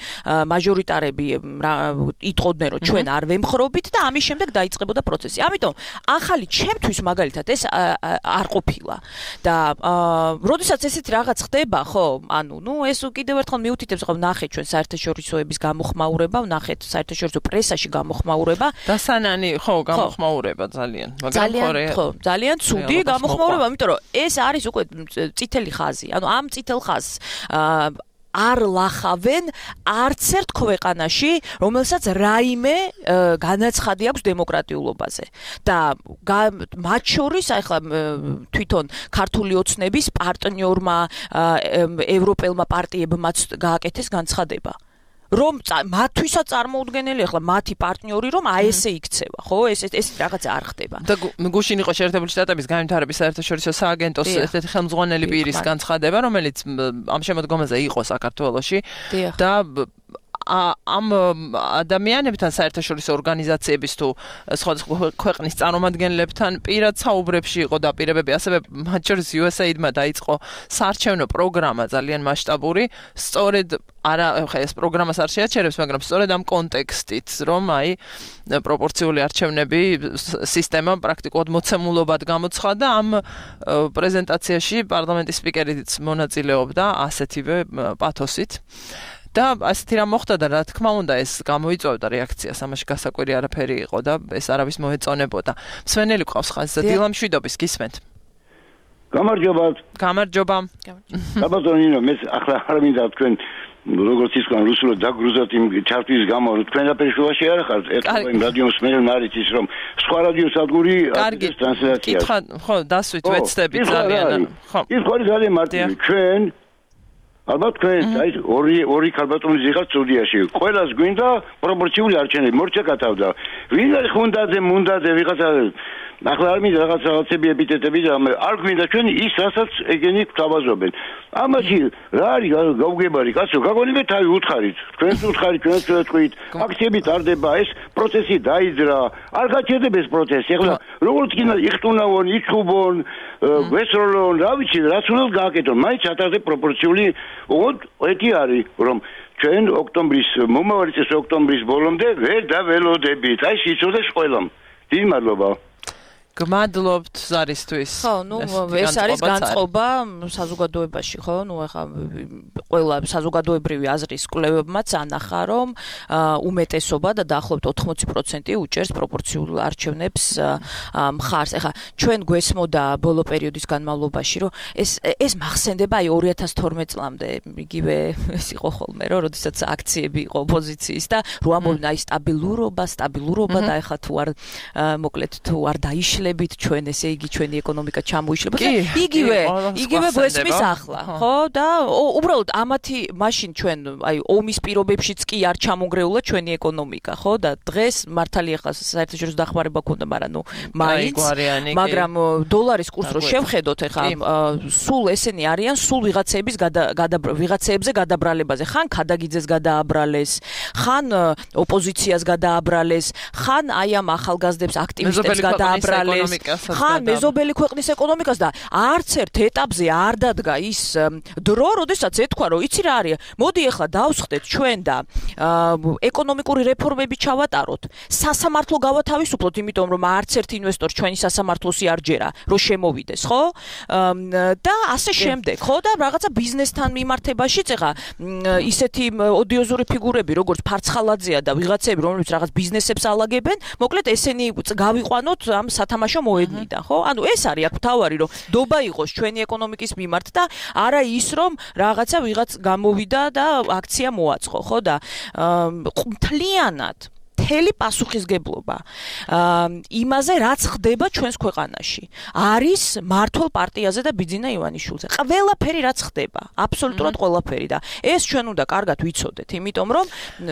Speaker 9: მაჟორიტარები იტყოდნენ, რომ ჩვენ არ ვემხრობით და ამის შემდეგ დაიწყებოდა პროცესი. ამიტომ ახალი ჩემთვის მაგალითად ეს არ ყოფილა. და როდესაც ესეთი რაღაც ხდება, ხო, ანუ ნუ ეს კიდევ ერთხელ მიუთითებს, ხო, ნახეთ ჩვენ საერთაშორისოების გამოხმაურება, ნახეთ საერთაშორისო პრესაში გამოხმაურება.
Speaker 2: დასანანი, ხო, გამოხმაურება ძალიან.
Speaker 9: ძალიან, ხო, ძალიან ცუდი გამოხმაურება. მოხმაურება, იმიტომ რომ ეს არის უკვე წითელი ხაზი. ანუ ამ წითელ ხაზს არ ლახავენ არც ერთ ქვეყანაში, რომელსაც რაიმე განაცხადი აქვს დემოკრატიულობაზე. და მათ შორის ახლა თვითონ ქართული ოცნების პარტნიორმა ევროპელმა პარტიებმაც გააკეთეს განცხადება. რომ მათთვისაც წარმოუდგენელი ახლა მათი პარტნიორი რომ აი ესე იქცევა, ხო? ეს ეს რაღაცა არ ხდება.
Speaker 2: და გუშინ იყო შეერთებული შტატების განვითარების საერთაშორისო სააგენტოს ესეთი ხელმძღვანელი პირის განცხადება, რომელიც ამ შემოდგომაზე იყო საქართველოში და ამ ადამიანებთან საერთაშორისო ორგანიზაციების თუ სხვადასხვა ქვეყნის წარმომადგენლებთან პირად საუბრებში იყო დაპირებები, ასევე მათ შორის იუ ეს ეიდმა დაიწყო საარჩევნო პროგრამა ძალიან მასშტაბური, სწორედ არა ხა ეს პროგრამას არ შეაჩერებს, მაგრამ სწორედ ამ კონტექსტით, რომ აი პროპორციული არჩევნები სისტემა პრაქტიკულად მოცემულობად გამოცხადა, ამ პრეზენტაციაში პარლამენტის სპიკერიც მონაწილეობდა ასეთივე პათოსით. და ასეთი რამ მოხდა და რა თქმა უნდა ეს გამოიწვევდა რეაქციას, ამაში გასაკვირი არაფერი იყო და ეს არავის მოეწონებოდა. მსვენელი ყავს ხაზზე, დილა მშვიდობის გისმენთ.
Speaker 11: გამარჯობა.
Speaker 2: გამარჯობა.
Speaker 11: გაბატონინო, მე ახლა არ მინდა თქვენ როგორც ისკან რუსულად დაგრუზოთ იმ ჩარტის გამო, რომ თქვენ აფერშუაში არ ხართ, ერთობა იმ რადიოს მერე მარიც ის რომ სხვა რადიო სადგური არის ტრანსლაცია.
Speaker 2: კითხვა, ხო, დასვით ვეცდებით ძალიან.
Speaker 11: ხო. ის ხო ძალიან მარტივი. ჩვენ ალბათ თქვენ აი ორი ორი ქალბატონის იღაც სტუდიაში. ყველას გვინდა პროპორციული არჩევნები, მორჩაკათავდა. ვინ არის ხუნდაძე, მუნდაძე, ვიღაცა ახლა არ მინდა რაღაც რაღაცები ეპიტეტები და არ გვინდა ჩვენ ის რასაც ეგენი გვთავაზობენ. ამაში რა არის გავგებარი კაცო, გაგონებთ თავი უთხარით. თქვენს უთხარით, ჩვენს ვეთქვით, აქციები ტარდება, ეს პროცესი დაიძრა. არ გაჩერდება ეს პროცესი. ახლა როგორც კი იხტუნავონ, იჩუბონ, ვესროლონ, რა ვიცი, რაც უნდა გააკეთონ. მაინც ათასზე პროპორციული უგოდ ეთი არის, რომ ჩვენ ოქტომბრის მომავალი წლის ოქტომბრის ბოლომდე ვერ დაველოდებით. აი სიცოცხლეს ყველამ. დიდი მადლობა.
Speaker 2: გმადლობთ ზარისთვის.
Speaker 9: ხო, ნუ ეს არის განწყობა საზოგადოებაში, ხო? ნუ ეხა ყველა საზოგადოებრივი აზრის კვლევებმაც ანახა, რომ უმეტესობა და დაახლოებით ოთხმოცი პროცენტი უჭერს პროპორციულ არჩევნებს მხარს. ეხა ჩვენ გვესმოდა ბოლო პერიოდის განმავლობაში, რომ ეს ეს მახსენდება აი ორი ათას თორმეტ წლამდე, იგივე ეს იყო ხოლმე, რომ როდესაც აქციები იყო ოპოზიციის და რო ამბობდნენ აი სტაბილურობა, სტაბილურობა და ეხა თუ არ მოკლედ თუ არ დაიშლებით ჩვენ, ესე იგი ჩვენი ეკონომიკა ჩამოიშლება და იგივე იგივე გვესმის ახლა, ხო? და უბრალოდ ამათი მაშინ ჩვენ აი ომის პირობებშიც კი არ ჩამონგრეულა ჩვენი ეკონომიკა, ხო? და დღეს მართალია ხა საერთაშორისო დახმარება ქონდა, მაგრამ ნუ მაინც მაგრამ დოლარის კურსს რო შევხედოთ ეხა სულ ესენი არიან სულ ვიღაცების ვიღაცებზე გადაბრალებაზე, ხან ქადაგიძეს გადააბრალეს, ხან ოპოზიციას გადააბრალეს, ხან აი ამ ახალგაზრდებს აქტივისტებს გადააბრალეს, ხან მეზობელი ქვეყნის ეკონომიკას და არც ერთ ეტაპზე არ დადგა ის დრო, როდესაც ეთქვა, რომ იცი რა არის, მოდი ახლა დავსხდეთ ჩვენ და ეკონომიკური რეფორმები ჩავატაროთ, სასამართლო გავათავისუფლოთ, იმიტომ რომ არც ერთ ინვესტორს ჩვენი სასამართლოსი არ ჯერა, რომ შემოვიდეს, ხო? და ასე შემდეგ, ხო? და რაღაცა ბიზნესთან მიმართებაშიც ეხა ისეთი ოდიოზური ფიგურები, როგორც ფარცხალაძეა და ვიღაცები, რომლებიც რაღაც ბიზნესებს ალაგებენ, მოკლედ ესენი გავიყვანოთ ამ სათამაშო მოედნიდან, ხო? ანუ ეს არის აქ თავარი, რომ დობა იყოს ჩვენი ეკონომიკის მიმართ და არა ის, რომ რაღაცა ვიღაც გამოვიდა და აქცია მოაწყო, ხო? და მთლიანად მთელი პასუხისგებლობა იმაზე, რაც ხდება ჩვენს ქვეყანაში, არის მართლ პარტიაზე და ბიძინა ივანიშვილზე. ყველაფერი რაც ხდება, აბსოლუტურად ყველაფერი და ეს ჩვენ უნდა კარგად ვიცოდეთ, იმიტომ რომ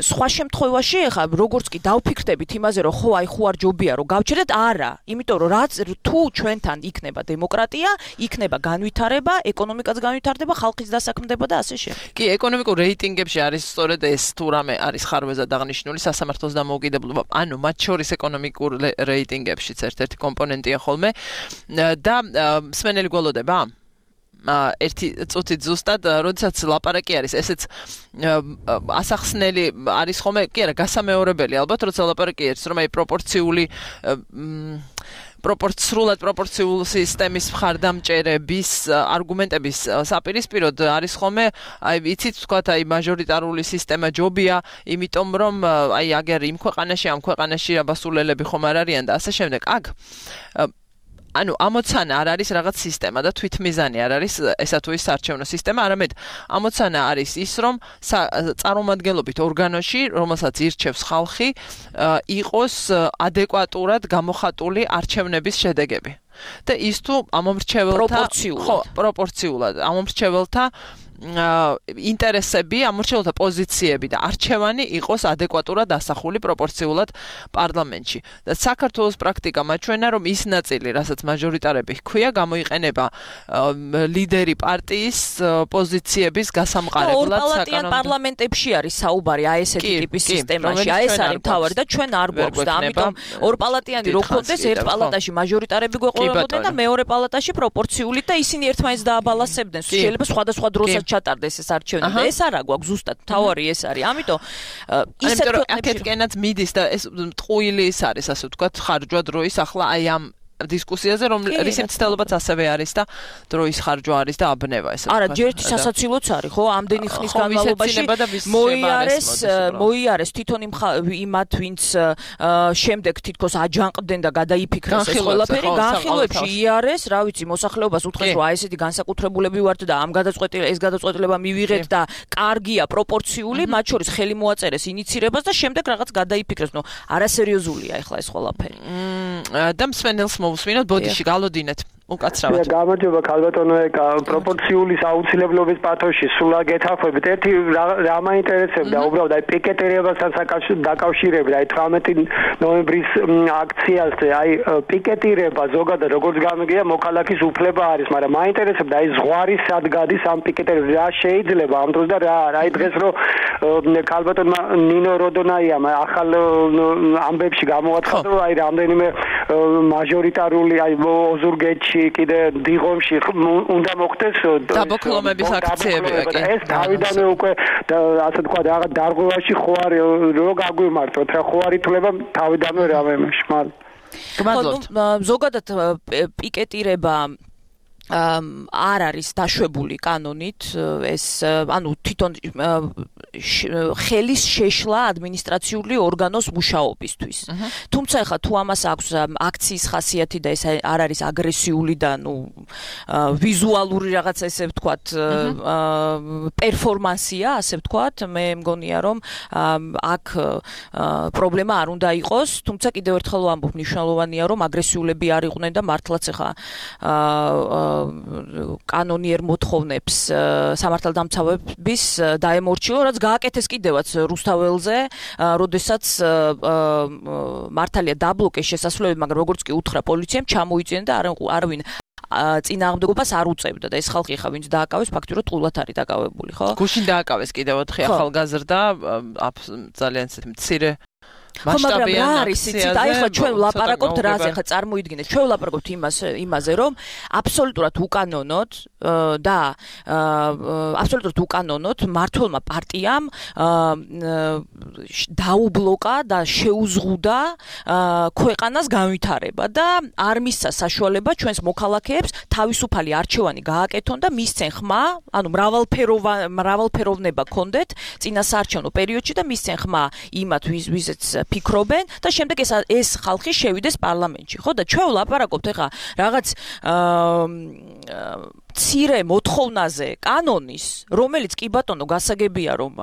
Speaker 9: სხვა შემთხვევაში ეხა როგორც კი დავფიქრდებით იმაზე, რომ ხო აი ხო არ ჯობია რომ გავჩერდეთ, არა, იმიტომ რომ რაც თუ ჩვენთან იქნება დემოკრატია, იქნება განვითარება, ეკონომიკაც განვითარდება, ხალხიც დასაქმდება და ასე შემდეგ.
Speaker 2: კი, ეკონომიკურ რეიტინგებში არის სწორედ ეს თუ რამე არის ხარვეზად აღნიშნული სასამართლოს დამოუკიდებლობა, ანუ მათ შორის ეკონომიკურ რეიტინგებშიც ერთ-ერთი კომპონენტია ხოლმე და მსმენელი გველოდება ერთი წუთით ზუსტად, როდესაც ლაპარაკი არის, ესეც ასახსნელი არის ხოლმე, კი არა, გასამეორებელი ალბათ, როცა ლაპარაკი არის, რომ აი პროპორციული პროპორციულად პროპორციულ სისტემის მხარდამჭერების არგუმენტების საპირისპიროდ არის ხოლმე, აი იცით ვთქვათ, აი მაჟორიტარული სისტემა ჯობია, იმიტომ რომ აი აგერ იმ ქვეყანაში, ამ ქვეყანაში აბასულელები ხომ არ არიან და ასე შემდეგ. აქ ანუ ამოცანა არ არის რაღაც სისტემა და თვითმიზანი არ არის ესა თუ ის საარჩევნო სისტემა, არამედ ამოცანა არის ის, რომ წარმომადგენლობით ორგანოში, რომელსაც ირჩევს ხალხი, იყოს ადეკვატურად გამოხატული არჩევნების შედეგები. და ის თუ ამომრჩეველთა
Speaker 9: პროპორციულად,
Speaker 2: პროპორციულად ამომრჩეველთა ინტერესები, ამორჩეულთა პოზიციები და არჩევანი იყოს ადეკვატურად ასახული პროპორციულად პარლამენტში. და საქართველოს პრაქტიკა მაჩვენა, რომ ის ნაწილი, რასაც მაჟორიტარები ჰქვია, გამოიყენება ლიდერი პარტიის პოზიციების გასამყარებლად
Speaker 9: საკანონმდებლო პარლამენტებში არის საუბარი აი ესეთი ტიპის სისტემაში, აი ეს არის თავარი და ჩვენ არ გვაქვს და ამიტომ ორპალატიანი რო ხონდეს, ერთ პალატაში მაჟორიტარები გვეყოლებოდნენ და მეორე პალატაში პროპორციული და ისინი ერთმანეთს დააბალანსებდნენ. შეიძლება სხვადასხვა დროსაც ჩატარდეს ეს არჩევანი და ეს არა გვაქვს ზუსტად თავარი ეს არის. ამიტომ ისეთ
Speaker 2: აქეთკენაც მიდის და ეს ტყუილი ის არის, ასე ვთქვათ, ხარჯვა დროის ახლა აი ამ დისკუსიაზე, რომ რის მცდელობაც ასევე არის და დროის ხარჯვა არის და აბნევა ესე
Speaker 9: ვთქვათ. არა, ჯერთი სასაცილოც არის, ხო, ამდენი ხნის განმავლობაში მოიარეს, მოიარეს თვითონ იმათ, ვინც შემდეგ თითქოს აჯანყდნენ და გადაიფიქრეს ეს ყველაფერი, განხილვებში იარეს, რა ვიცი, მოსახლეობას უთხრეს, რომ აი ესეთი განსაკუთრებულები ვართ და ამ გადაწყვეტილება ეს გადაწყვეტილება მივიღეთ და კარგია პროპორციული, მათ შორის ხელი მოაწერეს ინიცირებას და შემდეგ რაღაც გადაიფიქრეს. ნუ არასერიოზულია ახლა ეს ყველაფერი.
Speaker 2: და მსმენელს მოვუსმინოთ, ბოდიში გალოდინეთ. უკაცრავად.
Speaker 4: გამარჯობა ქალბატონო, ეკა პროპორციული აუცილებლობის პათოში სულ გეთახმებით. ერთი რა მაინტერესებდა, უბრალოდ აი პიკეტირებასთან დაკავშირებით, აი თვრამეტი ნოემბრის აქციაზე, აი პიკეტირება ზოგადად როგორც გამიგია, მოქალაქის უფლება არის, მაგრამ მაინტერესებდა აი ზღვარი სად გადის ამ პიკეტირებას, რა შეიძლება ამ დროს და რა არა. აი დღეს რო ქალბატონმა ნინო როდონაიამ ახალ ამბებში გამოაცხადა, რომ აი რამდენიმე მაჟორიტარული აი ოზურგეთში კიდე დიღომში უნდა მოხდეს
Speaker 2: დაბოკლომების აქციები, კი.
Speaker 4: ეს თავიდანვე უკვე ასე თქვა რაღაც დარღვევაში ხო არის, რო გაგვიმართოთ, რა ხო არის თვლება თავიდანვე რამემში, მაგრამ
Speaker 2: გმადლობთ.
Speaker 9: ზოგადად პიკეტირება არ არის დაშვებული კანონით ეს ანუ თვითონ ხელის შეშლა ადმინისტრაციული ორგანოს მუშაობისთვის. თუმცა ახლა თუ ამას აქვს აქციის ხასიათი და ეს არ არის აგრესიული და ნუ ვიზუალური რაღაც ესე ვთქვათ პერფორმანსია, ასე ვთქვათ, მე მგონია რომ აქ პრობლემა არ უნდა იყოს, თუმცა კიდევ ერთხელ ვამბობ, მნიშვნელოვანია რომ აგრესიულები არ იყვნენ და მართლაც ახლა კანონიერ მოთხოვნებს სამართალდამცავების დაემორჩილო, რაც გააკეთეს კიდევაც რუსთაველზე, როდესაც მართალია დაბლოკეს შესასვლელები, მაგრამ როგორც კი უთხრა პოლიციამ, ჩამოიწინა და არავინ წინააღმდეგობას არ უწევდა და ეს ხალხი ხა ვინც დააკავეს ფაქტურად ყულად არის დაკავებული, ხო?
Speaker 2: გუშინ დააკავეს კიდევ ოთხი ახალგაზრდა ძალიან ისეთი მცირე
Speaker 9: ხო, მაგრამ რა არის იცით, აი ხა ჩვენ ვლაპარაკობთ რაზე, ხა წარმოიდგინეთ, ჩვენ ვლაპარაკობთ იმას იმაზე, რომ აბსოლუტურად უკანონოდ და აბსოლუტურად უკანონოდ მართლმა პარტიამ დაუბლოკა და შეუზღუდა ქვეყანას განვითარება და არ მისცა საშუალება ჩვენს მოქალაქეებს თავისუფალი არჩევანი გააკეთონ და მისცენ ხმა, ანუ მრავალფეროვნება კონდეთ წინასაარჩევნო პერიოდში და მისცენ ხმა იმათ ვიზეც ფიქრობენ და შემდეგ ეს ეს ხალხი შევიდეს პარლამენტში, ხო და ჩვენ ვლაპარაკობთ ეხა რაღაც მცირე მოთხოვნაზე კანონის, რომელიც კი ბატონო გასაგებია რომ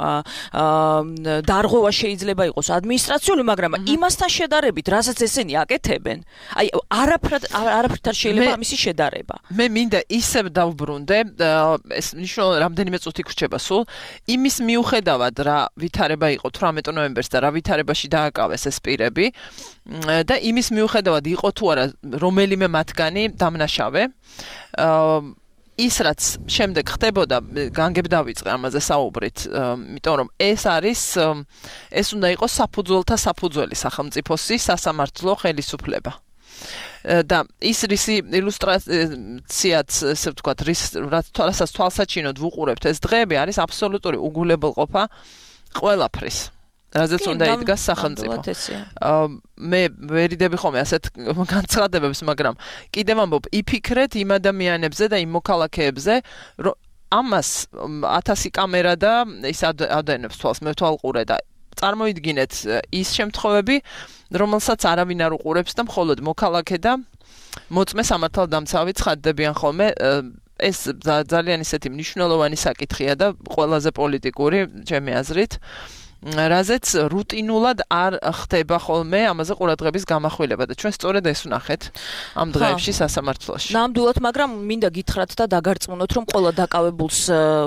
Speaker 9: დარღვევა შეიძლება იყოს ადმინისტრაციული, მაგრამ იმასთან შედარებით, რასაც ესენი აკეთებენ, აი არაფრად არაფრად შეიძლება ამისი შედარება.
Speaker 2: მე მინდა ისევ დავბრუნდე, ეს ნიშნავს რამდენიმე წუთი გრჩება სულ, იმის მიუხედავად რა ვითარება იყო თვრამეტ ნოემბერს და რა ვითარებაში დააკავეს ეს პირები და იმის მიუხედავად იყო თუ არა რომელიმე მათგანი დამნაშავე, ის რაც შემდეგ ხდებოდა, განგებ დავიწყე ამაზე საუბრით, იმიტომ რომ ეს არის ეს უნდა იყოს საფუძველთა საფუძველი სახელმწიფოსი სასამართლო ხელისუფლება. და ის რისი ილუსტრაციაც, ესე ვთქვათ, რის რაც თვალსას თვალსაჩინოდ ვუყურებთ ეს დღეები არის აბსოლუტური უგულებელყოფა ყველაფრის. რაზეც უნდა იდგას სახელმწიფო. მე ვერიდები ხოლმე ასეთ განცხადებებს, მაგრამ კიდევ ამბობ, იფიქრეთ იმ ადამიანებზე და იმ მოქალაქეებზე, რომ ამას ათასი კამერა და ის ადენებს თვალს, მე თვალყურე და წარმოიდგინეთ ის შემთხვევები, რომელსაც არავინ არ უყურებს და მხოლოდ მოქალაქე და მოწმე სამართალდამცავი ცხადდებიან ხოლმე. ეს ძალიან ისეთი მნიშვნელოვანი საკითხია და ყველაზე პოლიტიკური, ჩემი აზრით. რაზეც რუტინულად არ ხდება ხოლმე ამაზე ყურადღების გამახვილება და ჩვენ სწორედ ეს ვნახეთ ამ დღეებში სასამართლოში.
Speaker 9: ნამდვილად, მაგრამ მინდა გითხრათ და დაგარწმუნოთ, რომ ყველა დაკავებულს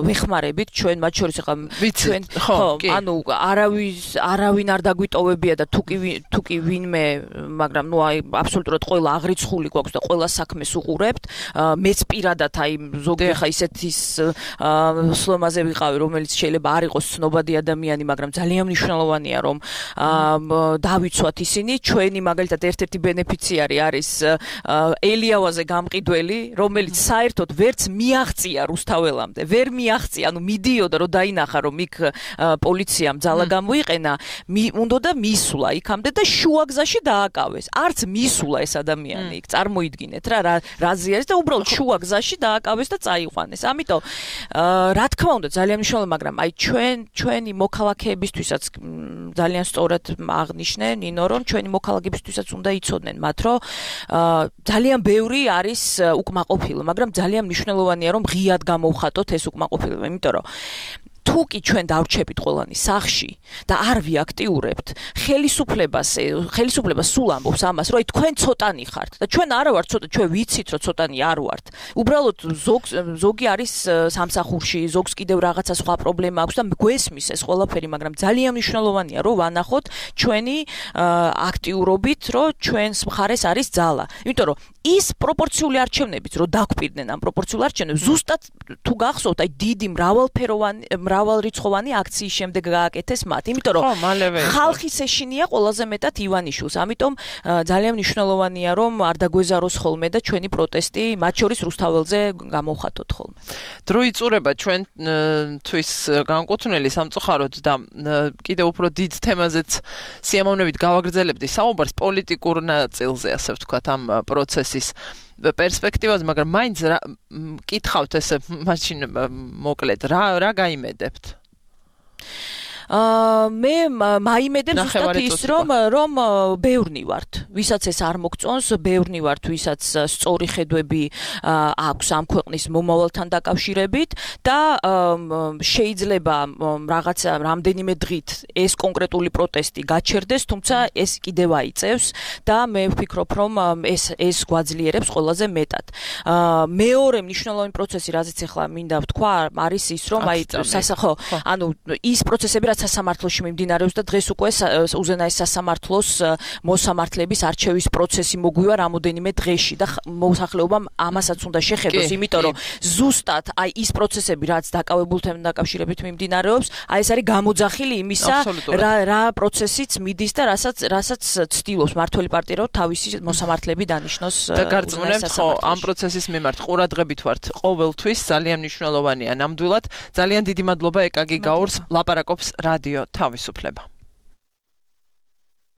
Speaker 9: ვეხმარებით, ჩვენ მათ შორის ახლა ჩვენ ხო, ანუ არავის არავინ არ დაგვიტოვებია და თუკი თუკი ვინმე, მაგრამ ნუ აი აბსოლუტურად ყველა აღრიცხული გვაქვს და ყველა საქმეს უყურებთ. მეც პირადად აი ზოგი ახლა ისეთის სლომაზე ვიყავი, რომელიც შეიძლება არ იყოს ცნობადი ადამიანი, მაგრამ ძალიან მნიშვნელოვანია რომ დავიცვათ ისინი. ჩვენი მაგალითად ერთ-ერთი ბენეფიციარი არის ელიავაზე გამყიდველი, რომელიც საერთოდ ვერც მიაღწია რუსთაველამდე, ვერ მიაღწია, ანუ მიდიოდა რომ დაინახა რომ იქ პოლიციამ ძალა გამოიყენა, უნდოდა მისვლა იქამდე და შუაგზაში დააკავეს. არც მისვლა ეს ადამიანი იქ, წარმოიდგინეთ რა რაზი არის და უბრალოდ შუაგზაში დააკავეს და წაიყვანეს. ამიტომ რა თქმა უნდა ძალიან მნიშვნელოვანია, მაგრამ აი ჩვენ ჩვენი მოქალაქეების ვისაც ძალიან სწორად აღნიშნე ნინო, რომ ჩვენი მოქალაქეებისთვისაც უნდა იცოდნენ მათ, რომ ძალიან ბევრი არის უკმაყოფილო, მაგრამ ძალიან მნიშვნელოვანია რომ ღიად გამოვხატოთ ეს უკმაყოფილება, იმიტომ რომ თუ კი ჩვენ დავრჩებით ყველანი სახში და არ ვიაქტიურებთ ხელისუფლებას, ხელისუფლებას სულ ამბობს ამას, რომ აი თქვენ ცოტანი ხართ და ჩვენ არა ვართ ცოტა, ჩვენ ვიცით რომ ცოტანი არ ვართ. უბრალოდ ზოგი არის სამსახურში, ზოგს კიდევ რაღაცა სხვა პრობლემა აქვს და გვესმის ეს ყველაფერი, მაგრამ ძალიან მნიშვნელოვანია რომ ვანახოთ ჩვენი აქტიურობით, რომ ჩვენს მხარეს არის ძალა. იმიტომ რომ ის პროპორციული არჩევნებიც რომ დაგვპირდნენ ამ პროპორციულ არჩევნებს, ზუსტად თუ გახსოვთ, აი დიდი მრავალფეროვანი მრავალრიცხოვანი აქციის შემდეგ გააკეთეს მათ. იმიტომ რომ ხალხის ეშინია ყველაზე მეტად ივანიშვილს. ამიტომ ძალიან მნიშვნელოვანია რომ არ დაგვეზაროს ხოლმე და ჩვენი პროტესტი მათ შორის რუსთაველზე გამოვხატოთ ხოლმე.
Speaker 2: დრო იწურება ჩვენთვის განკუთვნილი სამწუხაროდ და კიდევ უფრო დიდ თემაზეც სიამოვნებით გავაგრძელებდი საუბარს პოლიტიკურ ნაწილზე, ასე ვთქვათ, ამ პროცესის პერსპექტივაზე, მაგრამ მაინც კითხავთ ესე მაშინ მოკლედ რა რა გაიმედებთ?
Speaker 9: აა მე მაიმედებს ზუსტად ის რომ რომ ბევრნი ვართ, ვისაც ეს არ მოგწონს, ბევრნი ვართ, ვისაც სწორი ხედვები აქვს ამ ქვეყნის მომავალთან დაკავშირებით და შეიძლება რაღაცა რამდენიმე დღით ეს კონკრეტული პროტესტი გაჩერდეს, თუმცა ეს კიდევ აიწევს და მე ვფიქრობ რომ ეს ეს გვაძლიერებს ყველაზე მეტად. აა მეორე მნიშვნელოვანი პროცესი, რაზეც ახლა მინდა ვთქვა, არის ის რომ აი სასახო, ანუ ის პროცესები სასამართლოში მიმდინარეობს და დღეს უკვე უზენაეს სასამართლოს მოსამართლეების არჩევის პროცესი მოგვივა რამოდენიმე დღეში და მოსახლეობამ ამასაც უნდა შეხედოს, იმიტომ რომ ზუსტად აი ის პროცესები, რაც დაკავებულთან დაკავშირებით მიმდინარეობს, აი ეს არის გამოძახილი იმისა, რა რა პროცესიც მიდის და რასაც რასაც ცდილობს მმართველი პარტია რომ თავისი მოსამართლეები დანიშნოს
Speaker 2: და გარწმუნებთ ხო ამ პროცესის მიმართ ყურადღებით ვართ ყოველთვის, ძალიან მნიშვნელოვანია ნამდვილად. ძალიან დიდი მადლობა ეკაგი გაურს, ლაპარაკობს რადიო თავისუფლება.